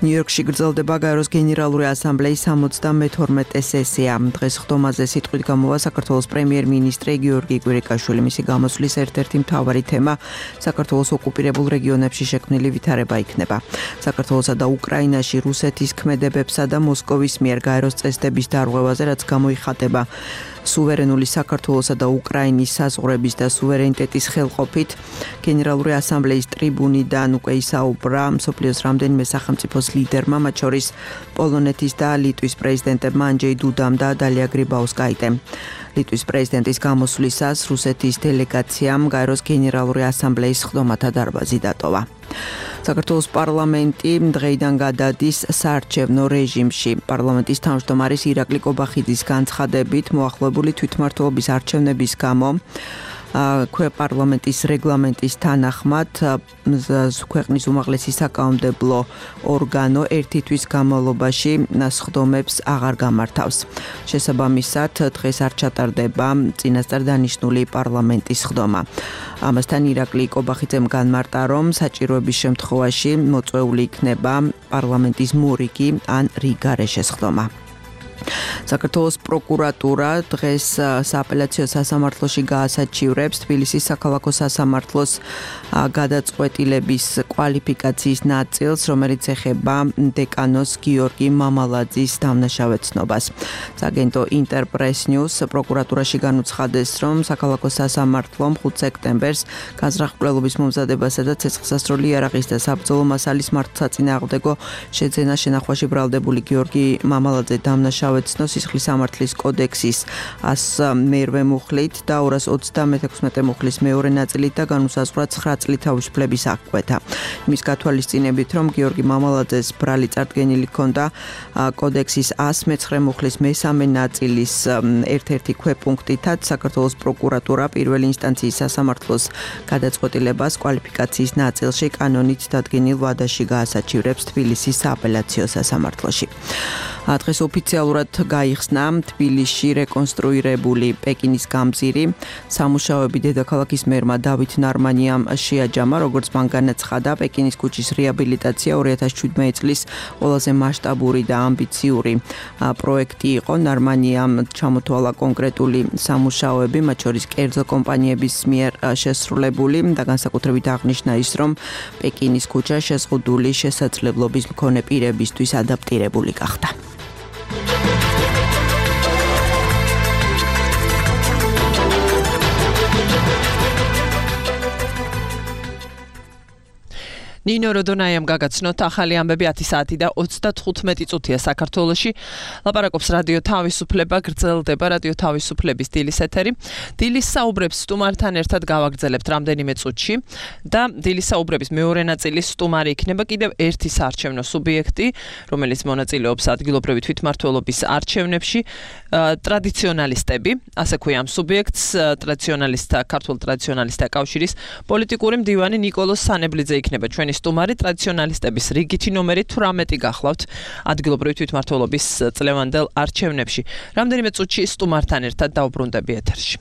ნიუ-იორკში გრძელდება გაეროს გენერალური ასამბლეის სამოცდამეთორმეტე სესია. დღეს ხდომაზე სიტყვით გამოვა საქართველოს პრემიერ-მინისტრი გიორგი კვირიკაშვილი. მისი გამოსვლის ერთ-ერთი მთავარი თემა საქართველოს ოკუპირებულ რეგიონებში შექმნილი ვითარება იქნება. საქართველოსა და უკრაინაში რუსეთის ქმედებებსა და მოსკოვის მიერ გაეროს წესდების დარღვევაზე, რაც გამოიხატება სუვერენული საქართველოსა და უკრაინის საზღვრების და სუვერენიტეტის ხელყოფით, გენერალური ასამბლეის ტრიბუნიდან უკვე ისაუბრა მსოფლიოს რამდენიმე სახელმწიფოს ლიდერმა, მათ შორის პოლონეთის და ლიტვის პრეზიდენტებმა ანჯეი დუდამ და დალია გრიბაუსკაიტემ. ლიტვის პრეზიდენტის გამოსვლისას რუსეთის დელეგაციამ გაეროს გენერალური ასამბლეის ხდომათა დარბაზი დატოვა. საქართველოს პარლამენტი დღეიდან გადადის საარჩევნო რეჟიმში. პარლამენტის თავმჯდომარის ირაკლი კობახიძის განცხადებით, მოახლოებული თვითმმართველობის არჩევნების გამო პარლამენტის რეგლამენტის თანახმად ქვეყნის უმაღლესი საკანონმდებლო ორგანო ერთი თვის განმავლობაში სხდომებს აღარ გამართავს. შესაბამისად, დღეს არ ჩატარდება წინასწარ დანიშნული პარლამენტის სხდომა. ამასთან ირაკლი კობახიძემ განმარტა, რომ საჭიროების შემთხვევაში მოწვეული იქნება პარლამენტის მორიგი ან რიგარეშე სხდომა. საქართველოს პროკურატურა დღეს სააპელაციო სასამართლოში გაასაჩივრებს თბილისის საქალაქო სასამართლოს გადაწყვეტილების კვალიფიკაციის ნაწილს, რომელიც ეხება დეკანოს გიორგი მამალაძის დამნაშავეცნობას. სააგენტო ინტერპრეს ნიუს პროკურატურაში განუცხადეს, რომ საქალაქო სასამართლომ ხუთი სექტემბერს განზრახ-მკვლელობის მომზადებასა და ცეცხლსასროლი იარაღის და საბრძოლო მასალის მართლსაწინააღმდეგო შეძენა შენახვაში ბრალდებული გიორგი მამალაძე დამნაშავეცნობა სისხლის სამართლის კოდექსის ას მერვე მუხლით და ორას ოცდამექვსმეტე მუხლის მეორე ნაწილით და განუსაზღვრა ცხრა წლით თავისუფლების აღკვეთა. იმის გათვალისწინებით, რომ გიორგი მამალაძეს ბრალი წარდგენილი ჰქონდა კოდექსის ას მეცხრე მუხლის მესამე ნაწილის ერთ-ერთი ქვეპუნქტითაც, საქართველოს პროკურატურა პირველი ინსტანციის სასამართლოს გადაწყვეტილებას კვალიფიკაციის ნაწილში კანონით დადგენილ ვადაში გაასაჩივრებს თბილისის სააპელაციო სასამართლოში. დღეს ოფიციალურად გაიხსნა თბილისში რეკონსტრუირებული პეკინის გამზირი. სამუშაოები დედაქალაქის მერმა დავით ნარმანიამ შეაჯამა, როგორც მან განაცხადა, პეკინის ქუჩის რეაბილიტაცია ორი ათას შვიდმეტი წლის ყველაზე მასშტაბური და ამბიციური პროექტი იყო. ნარმანიამ ჩამოთვალა კონკრეტული სამუშაოები, მათ შორის კერძო კომპანიების მიერ შესრულებული და განსაკუთრებით აღნიშნა ის, რომ პეკინის ქუჩა შეზღუდული შესაძლებლობის მქონე პირებისთვის ადაპტირებული გახდა. ნინო როდონაიამ გაგაცნოთ ახალი ამბები ათი საათი და ოცდათხუთმეტი წუთია საქართველოში. ლაპარაკობს რადიო თავისუფლება, გრძელდება რადიო თავისუფლების დილის ეთერი. დილის საუბრებს სტუმართან ერთად გავაგრძელებთ რამდენიმე წუთში და დილის საუბრების მეორე ნაწილის სტუმარი იქნება კიდევ ერთი საარჩევნო სუბიექტი, რომელიც მონაწილეობს ადგილობრივი თვითმმართველობის არჩევნებში, ტრადიციონალისტები, ასე ქვია ამ სუბიექტს, ტრადიციონალისტთა ქართულ ტრადიციონალისტთა კავშირის პოლიტიკური მდივანი ნიკოლოზ სანებლიძე იქნება ჩვენი სტუმარი. ტრადიციონალისტების რიგითი ნომერი თვრამეტი გახლავთ ადგილობრივი თვითმმართველობის წლევანდელ არჩევნებში. რამდენიმე წუთში სტუმართან ერთად დავბრუნდები ეთერში.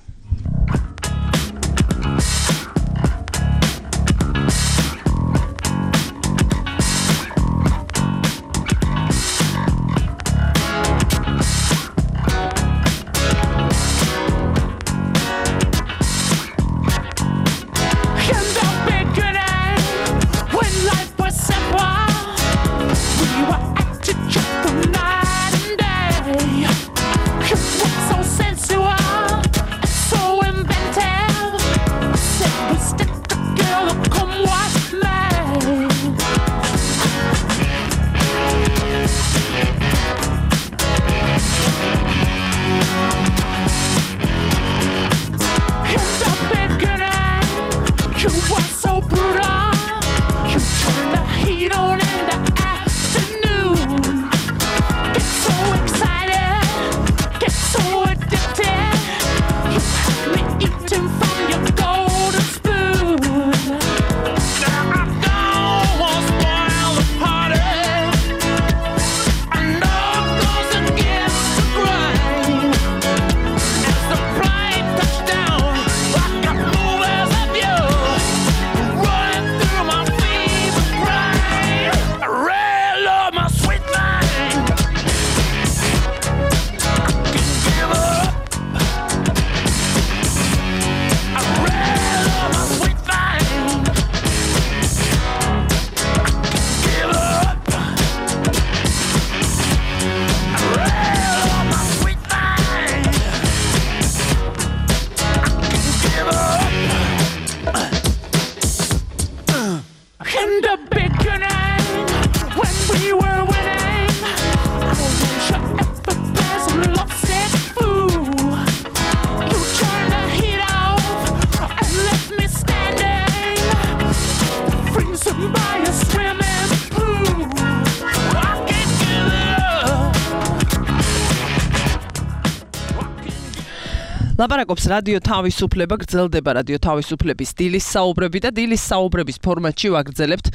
ლაპარაკობს რადიო თავისუფლება, გრძელდება რადიო თავისუფლების დილის საუბრები და დილის საუბრების ფორმატში ვაგრძელებთ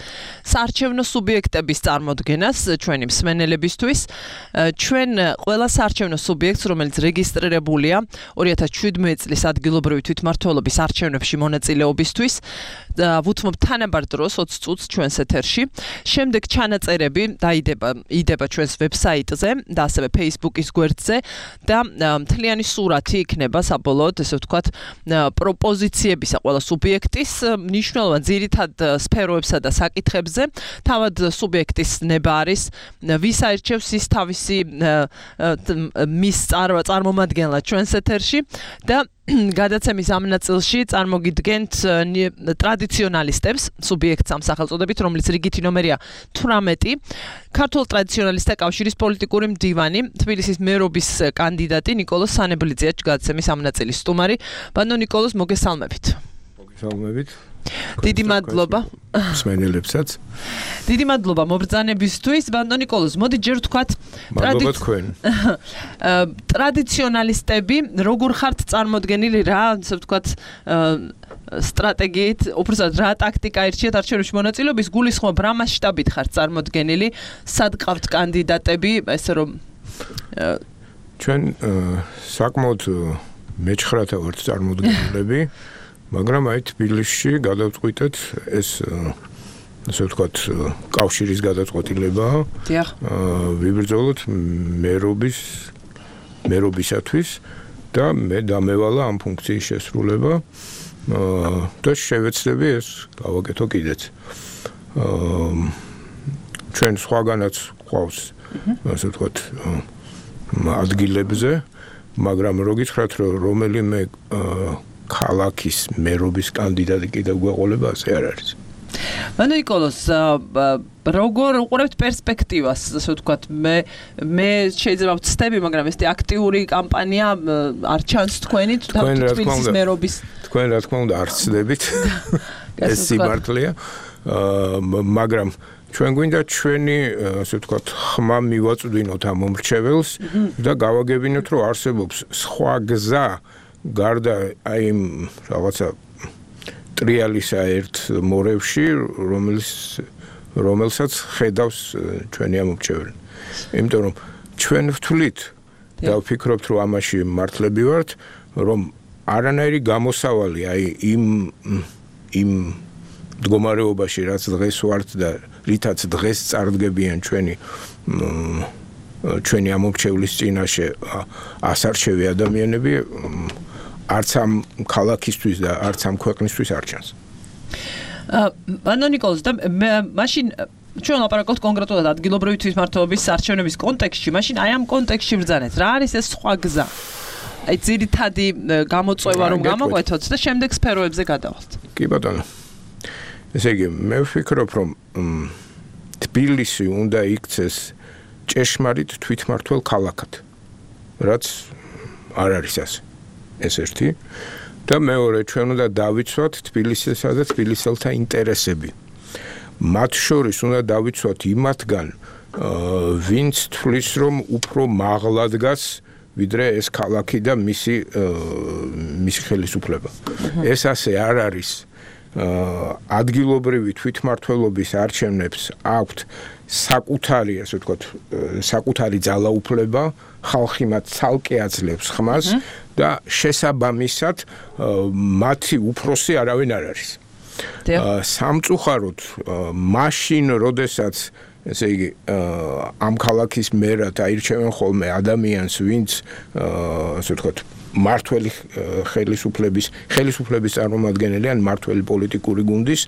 საარჩევნო სუბიექტების წარმოდგენას ჩვენი მსმენელებისთვის. ჩვენ ყველა საარჩევნო სუბიექტს, რომელიც რეგისტრირებულია ორი ათას შვიდმეტი წლის ადგილობრივი თვითმმართველობის არჩევნებში მონაწილეობისთვის, ვუთმობ თანაბარ დროს ოცი წუთს ჩვენს ეთერში. შემდეგ ჩანაწერები დაიდება იდება ჩვენს ვებსაიტზე და ასევე Facebook-ის გვერდზე და მთლიანი სურათი იქნება საბოლოოდ, ესე ვთქვათ, პროპოზიციებისა ყველა სუბიექტის მნიშვნელოვან ძირითად სფეროებსა და საკითხებზე. თავად სუბიექტის ნება არის ვის აირჩევს ის თავისი მის წარმომადგენლად ჩვენს ეთერში და გადაცემის ამ ნაწილში წარმოგიდგენთ ტრადიციონალისტებს, სუბიექტს ამ სახელწოდებით, რომლის რიგითი ნომერია თვრამეტი, ქართულ ტრადიციონალისტთა კავშირის პოლიტიკური მდივანი, თბილისის მერობის კანდიდატი ნიკოლოზ სანებლიძეა გადაცემის ამ ნაწილის სტუმარი. ბანო ნიკოლოზ, მოგესალმებით. მოგესალმებით. დიდი მადლობა. მსმენელებსაც. დიდი მადლობა მობრძანებისთვის. ბანო ნიკოლოზ, მოდი ჯერ ვთქვათ, მადლობა თქვენ. ტრადიციონალისტები როგორ ხართ წარმოდგენილი, რა, ასე ვთქვათ, სტრატეგიით, უბრალოდ რა ტაქტიკა ირჩიეთ არჩევნებში მონაწილეობის, გულისხმობ რა მასშტაბით ხართ წარმოდგენილი, სად ყავთ კანდიდატები, ესე რომ ჩვენ საკმაოდ მეჩხრათა ვართ წარმოდგენილები, მაგრამ აი თბილისში გადავწყვიტეთ ეს ასე ვთქვათ კავშირის გადაწყვეტილება. დიახ. ვიბრძოლოთ მერობის მერობისათვის და მე დამევალა ამ ფუნქციის შესრულება და შევეცდები ეს გავაკეთო კიდეც. ჩვენ სხვაგანაც ყავს ასე ვთქვათ ადგილებზე, მაგრამ რო გითხრათ რომ რომელიმე ქალაქის მერობის კანდიდატი კიდევ გვეყოლება, ასე არ არის. მანო ნიკოლოს როგორ უყურებთ პერსპექტივას, ასე ვთქვათ, მე მე შეიძლება ვცდები, მაგრამ ეს აქტიური კამპანია არ ჩანს თქვენი თბილისის მერობის. თქვენ რა თქმა უნდა არ ცდებით. ეს სიმართლეა. მაგრამ ჩვენ გვინდა ჩვენი, ასე ვთქვათ, ხმა მივაწვდინოთ ამ მომრჩეველს და გავაგებინოთ, რომ არსებობს სხვა გზა გარდა აი იმ რაღაცა ტრიალისა ერთ მორევში, რომელიც რომელსაც ხედავს ჩვენი ამორჩეველი. იმიტომ რომ ჩვენ ვთვლით და ვფიქრობთ, რომ ამაში მართლები ვართ, რომ არანაირი გამოსავალი აი იმ იმ მდგომარეობაში, რაც დღეს ვართ და რითაც დღეს წარდგებიან ჩვენი ჩვენი ამორჩევლის წინაშე ასარჩევი ადამიანები არც ამ ქალაქისთვის და არც ამ ქვეყნისთვის არ ჩანს. მანო ნიკოლოს და მაშინ ჩვენ ლაპარაკობთ კონკრეტულად ადგილობრივი თვითმმართველობის არჩევნების კონტექსტში, მაშინ აი ამ კონტექსტში ვბრძანეთ. რა არის ეს სხვა გზა? აი ძირითადი გამოწვევა რომ გამოყვეთოთ და შემდეგ სფეროებზე გადავალთ. კი ბატონო. ესე იგი, მე ვფიქრობ, რომ თბილისი უნდა იქცეს ჭეშმარიტ თვითმმართველ ქალაქად. რაც არ არის ასე. ეს ერთი და მეორე ჩვენ უნდა დავიცვათ თბილისისა და თბილისელთა ინტერესები. მათ შორის უნდა დავიცვათ იმათგან, ვინც თვლის, რომ უფრო მაღლა დგას ვიდრე ეს ქალაქი და მისი მისი ხელისუფლება. ეს ასე არ არის. ადგილობრივი თვითმმართველობის არჩევნებს აქვთ საკუთარი, ასე ვთქვათ, საკუთარი ძალაუფლება, ხალხი მათ ცალკე აძლევს ხმას და შესაბამისად მათი უფროსი არავინ არ არის. სამწუხაროდ მაშინ, როდესაც ესე იგი ამ ქალაქის მერად აირჩევენ ხოლმე ადამიანს, ვინც ასე ვთქვათ, მართველი ხელისუფლების ხელისუფლების წარმომადგენელი ან მართველი პოლიტიკური გუნდის,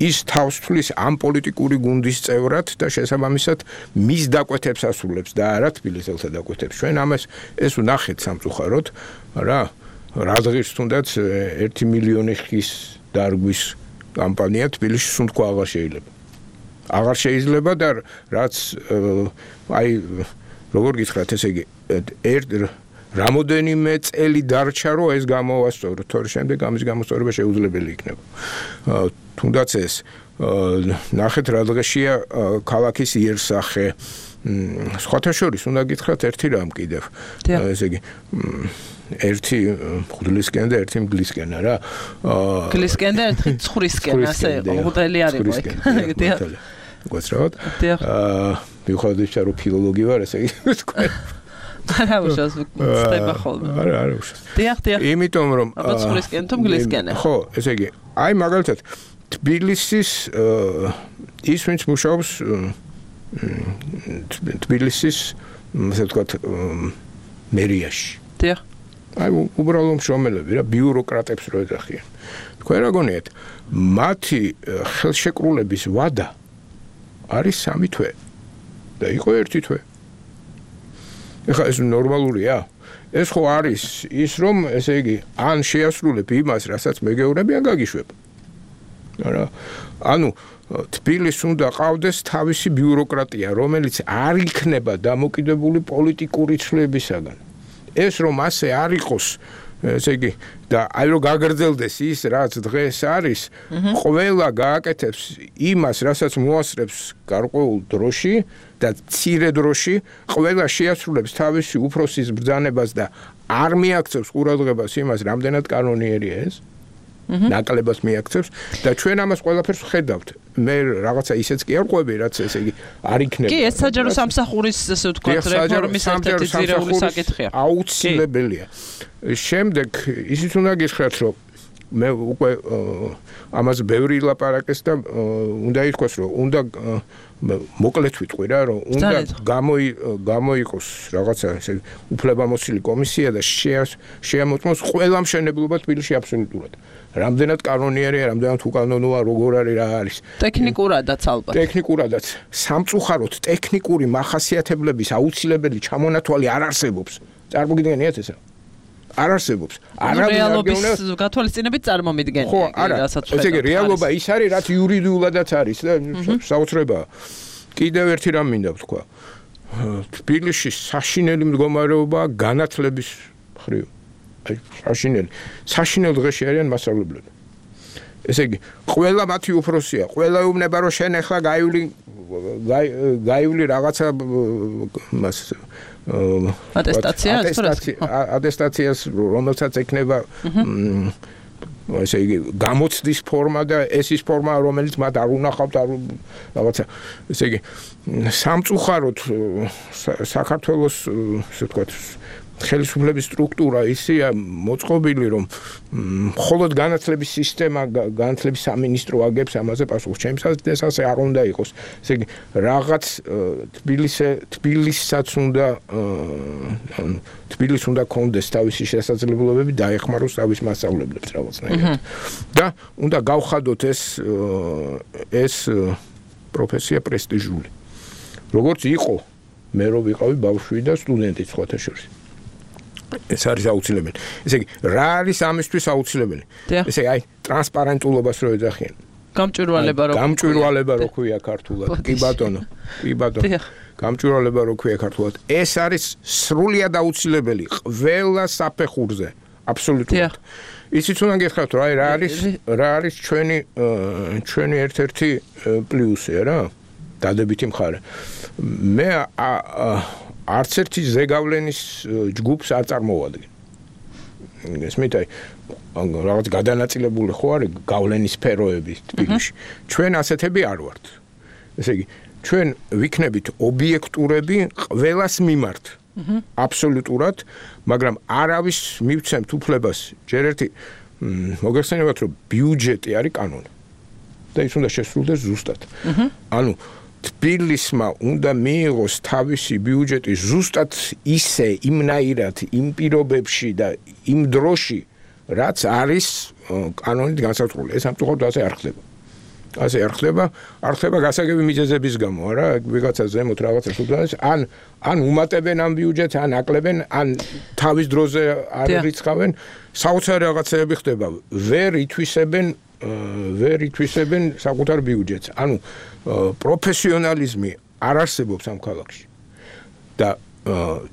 ის თავს თვლის ამ პოლიტიკური გუნდის წევრად და შესაბამისად მის დაკვეთებს ასრულებს და არა თბილისელთა დაკვეთებს. ჩვენ ამას ეს ვნახეთ სამწუხაროდ, რა რა დღეს თუნდაც ერთი მილიონი ხის დარგვის კამპანია თბილისში სუნთქვა აღარ შეიძლება. აღარ შეიძლება და რაც აი როგორ გითხრათ, ესე იგი ერთ რამოდენიმე წელი დარჩა, რომ ეს გამოვასწოროთ, თორე შემდეგ ამის გამოსწორება შეუძლებელი იქნება. თუნდაც ეს ნახეთ რა დღეშია ქალაქის იერსახე. სხვათა შორის უნდა გითხრათ ერთი რამ კიდევ. ესე იგი ერთი ხუდლისკენ და ერთი მგლისკენ რა. გლისკენ და ერთი ცხვრისკენ, ასე ხუდელი არ იყო ეგ. დიახ. გასწროთ. აა მიუხედავად რომ ფილოლოგი ვარ, ესე იგი თქვენ არა უშავს ხდება ხოლმე. არა, არა უშავს. დიახ, დიახ. იმიტომ რომ ცხვრისკენ თუ მგლისკენ. ხო, ესე იგი, აი მაგალითად თბილისის ის ვინც მუშაობს თბილისის, ასე ვთქვათ, მერიაში. დიახ. აი უბრალოდ მშრომელები რა, ბიუროკრატებს რო ეძახიან. თქვენ რა გონიათ, მათი ხელშეკრულების ვადა არის სამი თვე და იყო ერთი თვე. ეხლა ეს ნორმალურია? ეს ხო არის ის, რომ ესე იგი, ან შეასრულებ იმას, რასაც მეგეურები, ან გაგიშვებ. არა, ანუ თბილისს უნდა ყავდეს თავისი ბიუროკრატია, რომელიც არ იქნება დამოკიდებული პოლიტიკური ცვლილებისაგან. ეს რომ ასე არ იყოს, ესე იგი, და აი რომ გაგრძელდეს ის, რაც დღეს არის, ყველა გააკეთებს იმას, რასაც მოასწრებს გარკვეულ დროში და მცირე დროში, ყველა შეასრულებს თავისი უფროსის ბრძანებას და არ მიაქცევს ყურადღებას იმას, რამდენად კანონიერია ეს. ნაკლებას მიაქცევს და ჩვენ ამას ყველაფერს ვხედავთ. მე რაღაცა ისეც კი არ ყვები, რაც ესე იგი არ იქნება. კი, ეს საჯარო სამსახურის, ასე ვთქვათ, რეფორმის ერთ-ერთი ძირეული საკითხია. აუცილებელია. შემდეგ ისიც უნდა გითხრათ, რომ მე უკვე ამას ბევრი ლაპარაკეს და უნდა ითქვას, რომ უნდა მოკლედ ვიტყვი რა, რომ უნდა გამოიყოს რაღაცა ესე უფლებამოსილი კომისია და შეამოწმოს ყველა მშენებლობა თბილისში აბსოლუტურად. რამდენად კანონიერია, რამდენად უკანონოა, როგორ არის, რა არის. ტექნიკურადაც ალბათ. ტექნიკურადაც. სამწუხაროდ ტექნიკური მახასიათებლების აუცილებელი ჩამონათვალი არ არსებობს. წარმოგიდგენიათ ესა? არ არსებობს. არავინ არ რეალობის გათვალისწინებით წარმომიდგენია. ხო, არა. ესე იგი რეალობა ის არის, რაც იურიდიულადაც არის და საოცრებაა. კიდევ ერთი რამ მინდა ვთქვა. თბილისში საშინელი მდგომარეობაა განათლების მხრივ. აი, საშინელი. საშინელ დღეში არიან მასწავლებლები. ესე იგი, ყველა მათი უფროსია, ყველა ეუბნება, რომ შენ ახლა გაივლი გაივლი რაღაცა მას ატესტაცია, ატესტაციას, რომელსაც ეკნება ესე იგი, გამოცდის ფორმა და ეს ის ფორმა, რომელიც მათ არ უნახავთ, არ რაღაცა. ესე იგი, სამწუხაროდ საქართველოს, ასე ვთქვათ, ხელისუფლების სტრუქტურა ისეა მოწყობილი, რომ მხოლოდ განათლების სისტემა, განათლების სამინისტრო აგებს ამაზე პასუხს. ჩემსაც ასე არ უნდა იყოს. ესე იგი, რაღაც თბილისე თბილისსაც უნდა თბილისს უნდა კონდეს თავისი შესაძლებლობები დაეხმაროს თავის მასწავლებლებს რაღაცნაირად. და უნდა გავხადოთ ეს ეს პროფესია პრესტიჟული. როგორც იყო, მე რო ვიყავი ბავშვი და სტუდენტი სხვათა შორის. ეს არის აუცილებელი. ესე იგი, რა არის ამისთვის აუცილებელი? ესე იგი, აი, ტრანსპარენტულობას რო ეძახიან. გამჭვირვალება რო გამჭვირვალება რო ქვია ქართულად. კი ბატონო, კი ბატონო. გამჭვირვალება რო ქვია ქართულად. ეს არის სრულიად აუცილებელი ყველა საფეხურზე. აბსოლუტურად. ისიც უნდა გეხსნათ, რა რა არის რა არის ჩვენი ჩვენი ერთ-ერთი პლუსი რა? დადებითი მხარე. მე არც ერთი ზეგავლენის ჯგუფს არ წარმოვადგენ. ესმით, აი, რაღაც გადანაწილებული ხო არის გავლენის სფეროები თბილისში. ჩვენ ასეთები არ ვართ. ესე იგი, ჩვენ ვიქნებით ობიექტურები ყველას მიმართ. აბსოლუტურად, მაგრამ არავის მივცემთ უფლებას. ჯერ ერთი მოგეხსენებათ, რომ ბიუჯეტი არის კანონი. და ის უნდა შესრულდეს ზუსტად. ანუ თბილისმა უნდა მიიღოს თავისი ბიუჯეტი ზუსტად ისე, იმნაირად, იმ პირობებში და იმ დროში, რაც არის კანონით განსაზღვრული. ეს ამწუხაროდ ასე არ ხდება. ასე არ ხდება, არ ხდება გასაგები მიზეზების გამო, არა? ვიღაცა ზემოთ რაღაცას უბრალოდ ან ან უმატებენ ამ ბიუჯეტს, ან აკლებენ, ან თავის დროზე არ რიცხავენ. საოცარი რაღაცები ხდება. ვერ ითვისებენ ვერ ითვისებენ საკუთარ ბიუჯეტს. ანუ პროფესიონალიზმი არ არსებობს ამ ქალაქში. და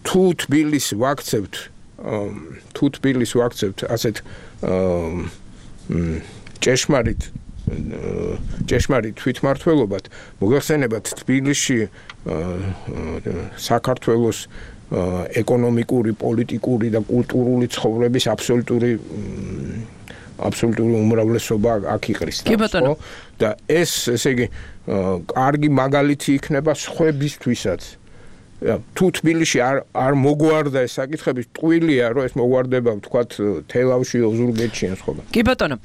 თუ თბილისს ვაქცევთ, თუ თბილისს ვაქცევთ ასეთ ჭეშმარიტ ჭეშმარიტ თვითმმართველობად, მოგეხსენებათ თბილისში საქართველოს ეკონომიკური, პოლიტიკური და კულტურული ცხოვრების აბსოლუტური აბსოლუტური უმრავლესობა აქ იყრის. ხო? და ეს, ესე იგი, კარგი მაგალითი იქნება სხვებისთვისაც. თუ თბილისში არ არ მოგვარდა ეს საკითხები, ტყუილია, რომ ეს მოგვარდება, ვთქვათ, თელავში, ოზურგეთში ან სხვა. კი ბატონო,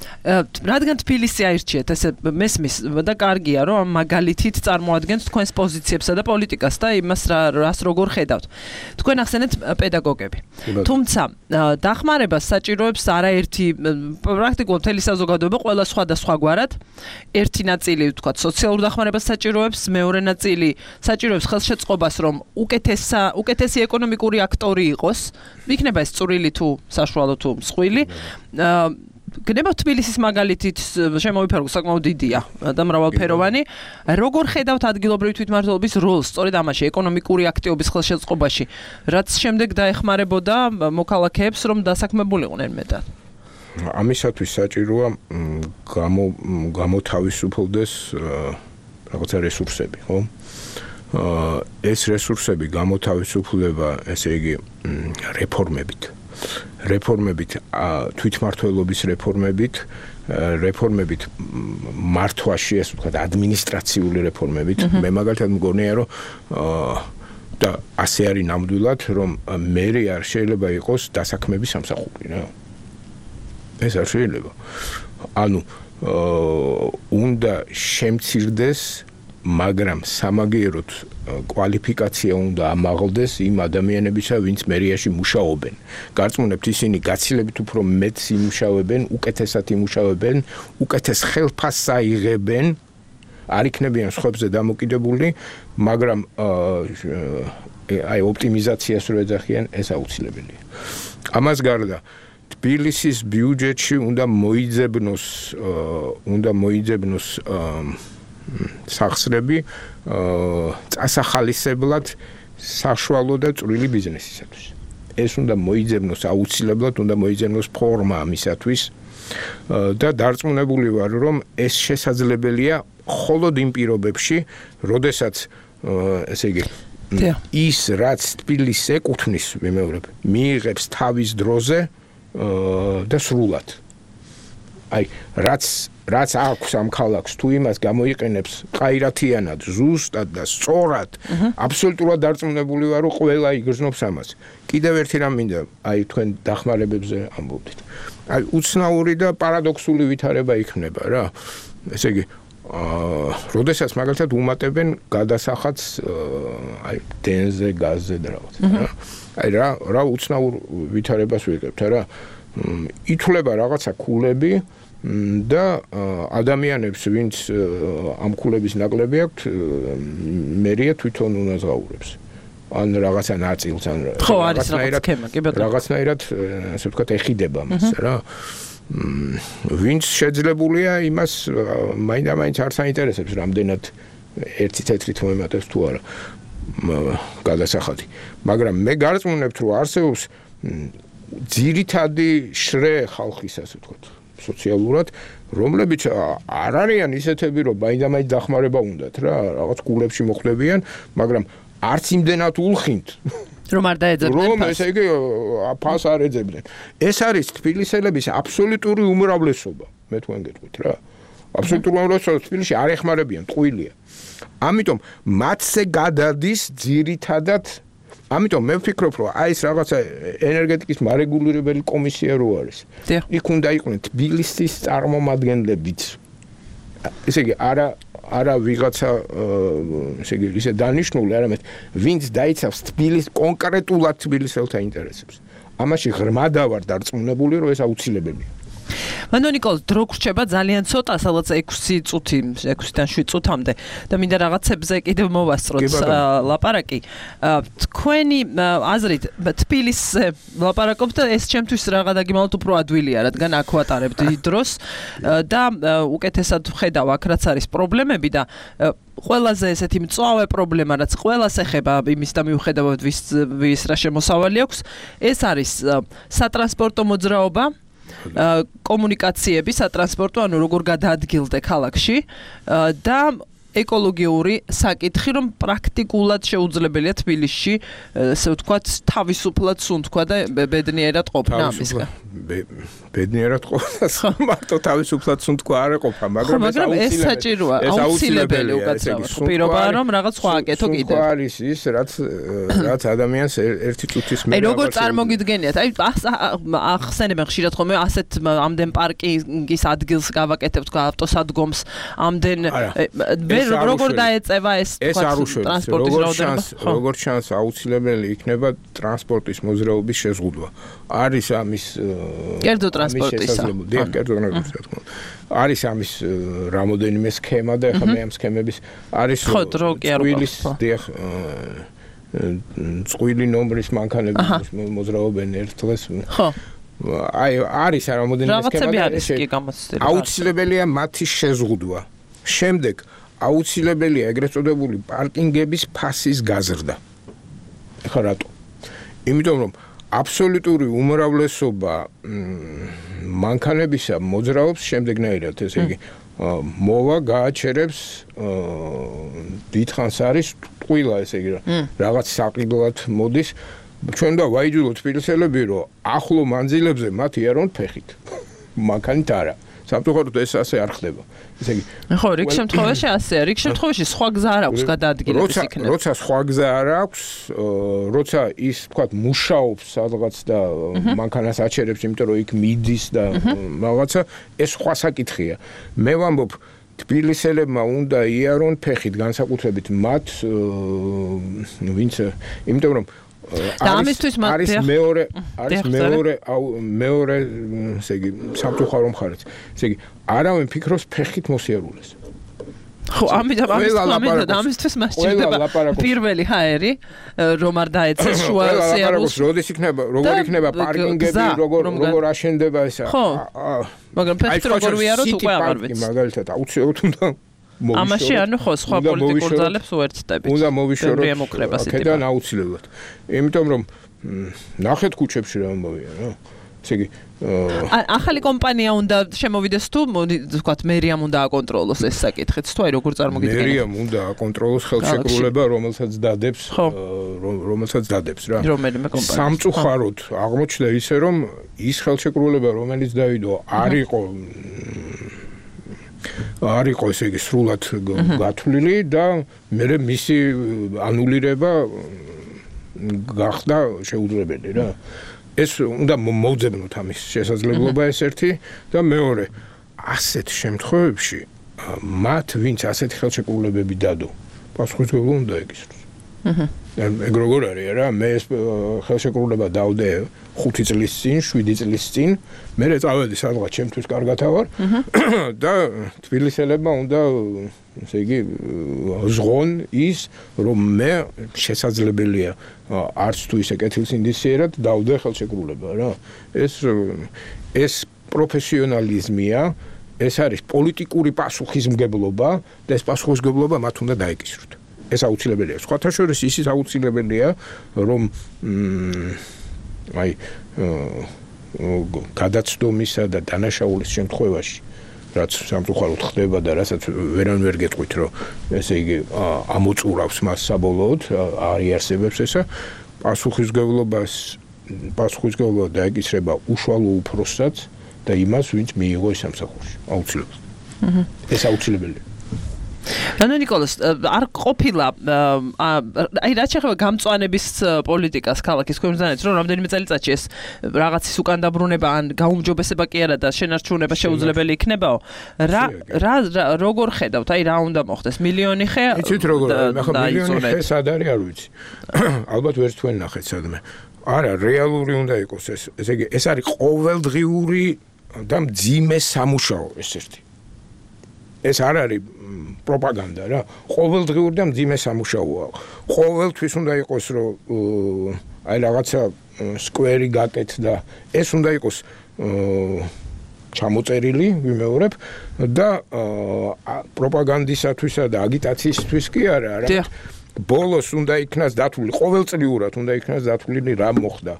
რადგან თბილისი აირჩიეთ, ესე მესმის და კარგია, რომ ამ მაგალითით წარმოადგენთ თქვენს პოზიციებსა და პოლიტიკას და იმას რას როგორ ხედავთ. თქვენ ახსენეთ პედაგოგები. თუმცა დახმარებას საჭიროებს არაერთი პრაქტიკულად მთელი საზოგადოება ყველა სხვადასხვაგვარად. ერთი ნაწილი, ვთქვათ, სოციალურ დახმარებას საჭიროებს, მეორე ნაწილი საჭიროებს ხელშეწყობას, რომ უკეთესა უკეთესი ეკონომიკური აქტორი იყოს, იქნება ეს წვრილი თუ საშუალო თუ მსხვილი. გნება თბილისის მაგალითით შემოვიფარგო საკმაოდ დიდია და მრავალფეროვანი. როგორ ხედავთ ადგილობრივი თვითმმართველობის როლს სწორედ ამაში, ეკონომიკური აქტივობის ხელშეწყობაში, რაც შემდეგ დაეხმარებოდა მოქალაქეებს, რომ დასაქმებულიყვნენ მეტად? ამისათვის საჭიროა გამოთავისუფლდეს რაღაცა რესურსები, ხო? ეს რესურსები გამოთავისუფლდება, ესე იგი, რეფორმებით. რეფორმებით, თვითმმართველობის რეფორმებით, რეფორმებით მართვაში, ესე ვთქვათ, ადმინისტრაციული რეფორმებით. მე მაგალითად მგონია, რომ და ასე არის ნამდვილად, რომ მერე არ შეიძლება იყოს დასაქმების სამსახური, რა. ეს არ შეიძლება. ანუ უნდა შემცირდეს, მაგრამ სამაგიეროდ კვალიფიკაცია უნდა ამაღლდეს იმ ადამიანებისა, ვინც მერიაში მუშაობენ. გარწმუნებთ, ისინი გაცილებით უფრო მეტს იმუშავებენ, უკეთესად იმუშავებენ, უკეთეს ხელფასს აიღებენ, არ იქნებიან სხვებზე დამოკიდებული, მაგრამ აი ოპტიმიზაციას რო ეძახიან, ეს აუცილებელია. ამას გარდა თბილისის ბიუჯეტში უნდა მოიძებნოს უნდა მოიძებნოს სახსრები წასახალისებლად საშუალო და წვრილი ბიზნესისათვის. ეს უნდა მოიძებნოს აუცილებლად უნდა მოიძებნოს ფორმა ამისათვის და დარწმუნებული ვარ რომ ეს შესაძლებელია მხოლოდ იმ პირობებში, როდესაც ესე იგი ის რაც თბილისს ეკუთვნის ვიმეორებ, მიიღებს თავის დროზე და სრულად. აი, რაც რაც აქვს ამ ქალაქს, თუ იმას გამოიყენებს ყაირათიანად, ზუსტად და სწორად, აბსოლუტურად დარწმუნებული ვარ, რომ ყველა იგრძნობს ამას. კიდევ ერთი რამ მინდა, აი თქვენ დახმარებებზე ამბობდით. აი, უცნაური და პარადოქსული ვითარება იქნება რა. ესე იგი, აა, როდესაც მაგალითად უმატებენ გადასახადს აი დენზე, გაზზე და რაღაც, რა. აი რა, რა უცნაურ ვითარებას ვიღებთ რა. ითვლება რაღაცა ქულები და ადამიანებს, ვინც ამ ქულების ნაკლები აქვთ, მერია თვითონ უნაზღაურებს. ან რაღაცა ნაწილს, ან რაღაცნაირად, ასე ვთქვათ, ეხიდება მას რა. ვინც შეძლებულია იმას მაინდა-მაინც არ საინტერესებს, რამდენად ერთი თეთრით მოემატებს თუ არა გადასახადი. მაგრამ მე გარწმუნებთ, რომ არსებობს ძირითადი შრე ხალხის, ასე ვთქვათ, სოციალურად, რომლებიც არ არიან ისეთები, რომ მაინდა-მაინც დახმარება უნდათ რა, რაღაც კულებში მოხვდებიან, მაგრამ არც იმდენად улხინთ, რომ არ დაეძებდნენ რომ ესე იგი ფას არ ეძებდნენ. ეს არის თბილისელების აბსოლუტური უმრავლესობა, მე თქვენ გეტყვით რა. აბსოლუტური უმრავლესობა თბილისში არ ეხმარებიან, ტყუილია. ამიტომ მათზე გადადის ძირითადად ამიტომ მე ვფიქრობ, რომ აი ეს რაღაცა ენერგეტიკის მარეგულირებელი კომისია რო არის. იქ უნდა იყვნენ თბილისის წარმომადგენლებიც. ესე იგი არა არა ვიღაცა ესე იგი ისე დანიშნული, არამედ ვინც დაიცავს თბილის კონკრეტულად თბილისელთა ინტერესებს. ამაში ღრმადა ვარ დარწმუნებული, რომ ეს აუცილებელია. მანდ ნიკოლ, დრო გრჩება ძალიან ცოტა, სადაც ექვსი წუთი, ექვსიდან შვიდ წუთამდე და მინდა რაღაცებზე კიდევ მოვასწროთ ლაპარაკი. თქვენი აზრით თბილისზე ლაპარაკობთ და ეს ჩემთვის რაღა დაგიმალოთ უფრო ადვილია, რადგან აქ ვატარებთ დროს და უკეთესად ვხედავ აქ რაც არის პრობლემები და ყველაზე ესეთი მწვავე პრობლემა, რაც ყველას ეხება იმის და მიუხედავად ვის ვის რა შემოსავალი აქვს, ეს არის სატრანსპორტო მოძრაობა, კომუნიკაციები, სატრანსპორტო, ანუ როგორ გადაადგილდე ქალაქში და ეკოლოგიური საკითხი, რომ პრაქტიკულად შეუძლებელია თბილისში, ესე ვთქვათ, თავისუფლად სუნთქვა და ბედნიერად ყოფნა ამისგან. ბედნიერად ყოფნა, მარტო თავისუფლად სუნთქვა არ ეყოფა, მაგრამ ეს საჭიროა, აუცილებელი უკაცრავად. პირობაა, რომ რაღაც სხვა აკეთო კიდევ. სუნთქვა არის ის, რაც რაც ადამიანს ერთი წუთის მერე. აი როგორ წარმოგიდგენიათ? აი ახსენებენ ხშირად ხოლმე ასეთ ამდენ პარკინგის ადგილს გავაკეთებთ, ავტოსადგომს, ამდენ როგორ დაეწევა ეს ტრანსპორტის რაოდენობა? როგორც ჩანს, აუცილებელი იქნება ტრანსპორტის მოძრაობის შეზღუდვა. არის ამის კერძო ტრანსპორტისა. დიახ, კერძო ტრანსპორტისა. არის ამის რამოდენიმე სქემა და ეხლა მე ამ სქემების არის წყვილის, დიახ, წყვილი ნომრის მანქანების მოძრაობენ ერთ დღეს. ხო. აი არის რამოდენიმე სქემა და აუცილებელია მათი შეზღუდვა. შემდეგ აუცილებელია ეგრეთ წოდებული პარკინგების ფასის გაზრდა. ეხლა რატო? იმიტომ რომ აბსოლუტური უმრავლესობა მანქანებისა მოძრაობს შემდეგნაირად, ესე იგი, მოვა გააჩერებს დიდხანს არის ტყუილა, ესე იგი, რაღაც საყიდლად მოდის. ჩვენ და ვაიძულოთ თბილისელები, რომ ახლო მანძილებზე მათ იარონ ფეხით. მანქანით არა. სამწუხაროდ ეს ასე არ ხდება. ესე იგი, ხო, რიგ შემთხვევაში ასეა, რიგ შემთხვევაში სხვა გზა არ აქვს გადაადგილების იქნება. როცა სხვა გზა არ აქვს, როცა ის, თქვათ, მუშაობს სადღაც და მანქანას აჩერებს, იმიტომ რომ იქ მიდის და რაღაცა, ეს სხვა საკითხია. მე ვამბობ, თბილისელებმა უნდა იარონ ფეხით, განსაკუთრებით მათ, ვინც, იმიტომ რომ და ამისთვის არის მეორე არის მეორე მეორე ესე იგი სამწუხარო მხარეც. ესე იგი, არავინ ფიქრობს ფეხით მოსიარულეს. ხო, ამიტომ ამისთვის ამისთვის მას ჭირდება პირველი ჰაერი, რომ არ დაეცეს შუა სიარულს. როდის იქნება, როგორ იქნება პარკინგები, როგორ როგორ აშენდება ესა. ხო. მაგრამ ფაქტი როგორ ვიაროთ უკვე აღარ ვიცი. მაგალითად აუცილებლად უნდა მოვიშოროთ. ამაში ანუ ხო სხვა პოლიტიკურ ძალებს უერთდებით. უნდა მოვიშოროთ. ემოკრება სიტყვა. აქედან აუცილებლად. იმიტომ რომ ნახეთ ქუჩებში რა ამბავია, რა. ესე იგი ახალი კომპანია უნდა შემოვიდეს თუ ვთქვათ მერიამ უნდა აკონტროლოს ეს საკითხიც თუ აი როგორ წარმოგიდგენთ მერიამ უნდა აკონტროლოს ხელშეკრულება რომელსაც დადებს რომელსაც დადებს რა რომელიმე კომპანია სამწუხაროდ აღმოჩნდა ისე რომ ის ხელშეკრულება რომელიც დავიდო არ იყო არ იყო ესე იგი სრულად გათვლილი და მე მისი ანულირება გახდა შეუძლებელი რა ეს უნდა მოვძებნოთ ამის შესაძლებლობა ეს ერთი და მეორე ასეთ შემთხვევებში მათ ვინც ასეთი ხელშეკრულებები დადო პასუხისმგებლობა უნდა ეკისროს. აჰა. ეგ როგორ არის რა მე ეს ხელშეკრულება დავდე ხუთი წლის წინ, შვიდი წლის წინ, მე წავედი სადღაც ჩემთვის კარგად ავარ და თბილისელებმა უნდა ესე იგი ზღონ ის რომ მე შესაძლებელია არც თუ ისე კეთილსინდისიერად დავდე ხელშეკრულება რა ეს ეს პროფესიონალიზმია ეს არის პოლიტიკური პასუხისმგებლობა და ეს პასუხისმგებლობა მათ უნდა დაეკისროთ ეს აუცილებელია სხვათა შორის ისიც აუცილებელია რომ აი გადაცდომისა და დანაშაულის შემთხვევაში რაც სამწუხაროდ ხდება და რასაც ვერან ვერ გეტყვით რომ ესე იგი ამოწურავს მას საბოლოოდ არიარსებებს ესა პასუხისმგებლობას პასუხისმგებლობა დაეკისრება უშუალო უფროსსაც და იმას ვინც მიიღო ეს სამსახურში აუცილებლად ეს აუცილებელია რანო ნიკოლას არ ყოფილა აი რაც შეეხება გამწვანების პოლიტიკას ქალაქის ქვემოდანაც რომ რამდენიმე წელიწადში ეს რაღაცის უკან დაბრუნება ან გაუმჯობესება კი არა და შენარჩუნება შეუძლებელი იქნებაო რა რა როგორ ხედავთ აი რა უნდა მოხდეს მილიონი ხე იცით როგორ მე ხო მილიონი ხე სად არის არ ვიცი ალბათ ვერც თქვენ ნახეთ სადმე არა რეალური უნდა იყოს ეს ესე იგი ეს არის ყოველდღიური და მძიმე სამუშაო ეს ერთი ეს არ არის პროპაგანდა რა ყოველდღიური და მძიმე სამუშაოა ყოველთვის უნდა იყოს რომ აი რაღაცა სკვერი გაკეთდა ეს უნდა იყოს ჩამოწერილი ვიმეორებ და პროპაგანდისათვისა და აგიტაციისთვის კი არა რა ბოლოს უნდა იქნას დათვლილი ყოველწლიურად უნდა იქნას დათვლილი რა მოხდა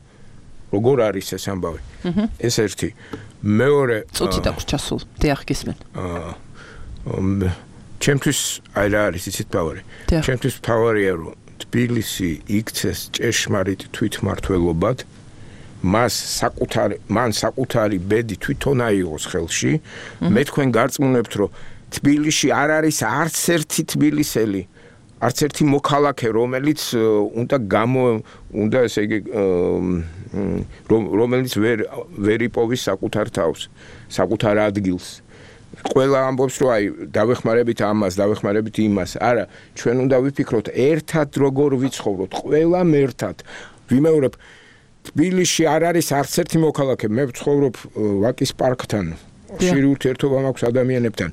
როგორ არის ეს ამბავი ეს ერთი მეორე წუთი დაქვს ჩასულ დიახ გისმენ აა ჩემთვის აი რა არის იცით თავარი ჩემთვის თავარია რომ თბილისი იქცეს ჭეშმარიტ თვითმმართველობად მას საკუთარი მან საკუთარი ბედი თვითონ აიღოს ხელში მე თქვენ გარწმუნებთ რომ თბილისში არ არის არც ერთი თბილისელი არც ერთი მოქალაქე რომელიც უნდა გამო უნდა ესე იგი რომელიც ვერ ვერ იპოვის საკუთარ თავს საკუთარ ადგილს ყველა ამბობს რომ აი დავეხმარებით ამას დავეხმარებით იმას არა ჩვენ უნდა ვიფიქროთ ერთად როგორ ვიცხოვროთ ყველამ ერთად ვიმეორებ თბილისში არ არის არც ერთი მოქალაქე მე ვცხოვრობ ვაკის პარკთან ხშირი ურთიერთობა მაქვს ადამიანებთან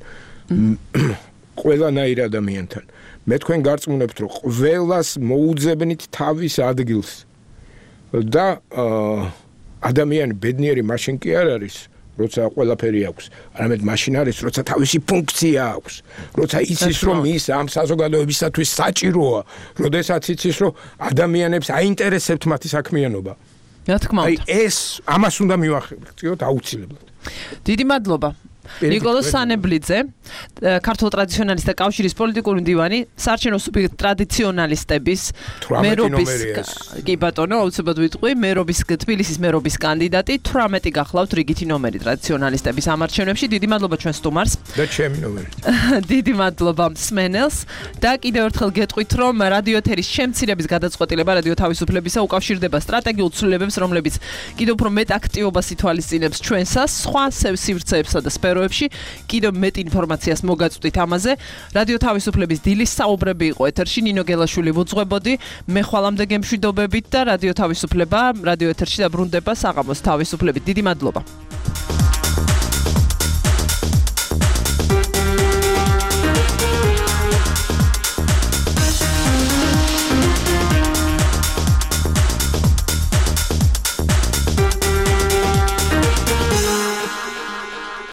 ყველანაირ ადამიანთან მე თქვენ გარწმუნებთ რომ ყველას მოუძებნით თავის ადგილს და ადამიანი ბედნიერი მაშინ კი არ არის როცა ყველაფერი აქვს არამედ მაშინ არის როცა თავისი ფუნქცია აქვს როცა იცის რომ ის ამ საზოგადოებისათვის საჭიროა როდესაც იცის რომ ადამიანებს აინტერესებთ მათი საქმიანობა რა თქმა უნდა აი ეს ამას უნდა მივახერხოთ აუცილებლად დიდი მადლობა ნიკოლოზ სანებლიძე ქართულ ტრადიციონალისტთა კავშირის პოლიტიკური მდივანი საარჩევნო სუბიექტ ტრადიციონალისტების მერობის კი ბატონო აუცილებლად ვიტყვი მერობის თბილისის მერობის კანდიდატი თვრამეტი გახლავთ რიგითი ნომერი ტრადიციონალისტების ამარჩევნებში დიდი მადლობა ჩვენ სტუმარს და ჩემი ნომერი დიდი მადლობა მსმენელს და კიდევ ერთხელ გეტყვით რომ რადიო ეთერის შემცირების გადაწყვეტილება რადიო თავისუფლებისა უკავშირდება სტრატეგიულ ცვლილებებს რომლებიც კიდევ უფრო მეტ აქტივობას ითვალისწინებს ჩვენსას სხვა სივრცეებსა და სფეროებში კიდევ მეტ ინფორმაციას მოგაწვდით ამაზე რადიო თავისუფლების დილის საუბრები იყო ეთერში ნინო გელაშვილი ვუძღვებოდი მე ხვალამდე გემშვიდობებით და რადიო თავისუფლება რადიო ეთერში დაბრუნდება საღამოს თავისუფლებით დიდი მადლობა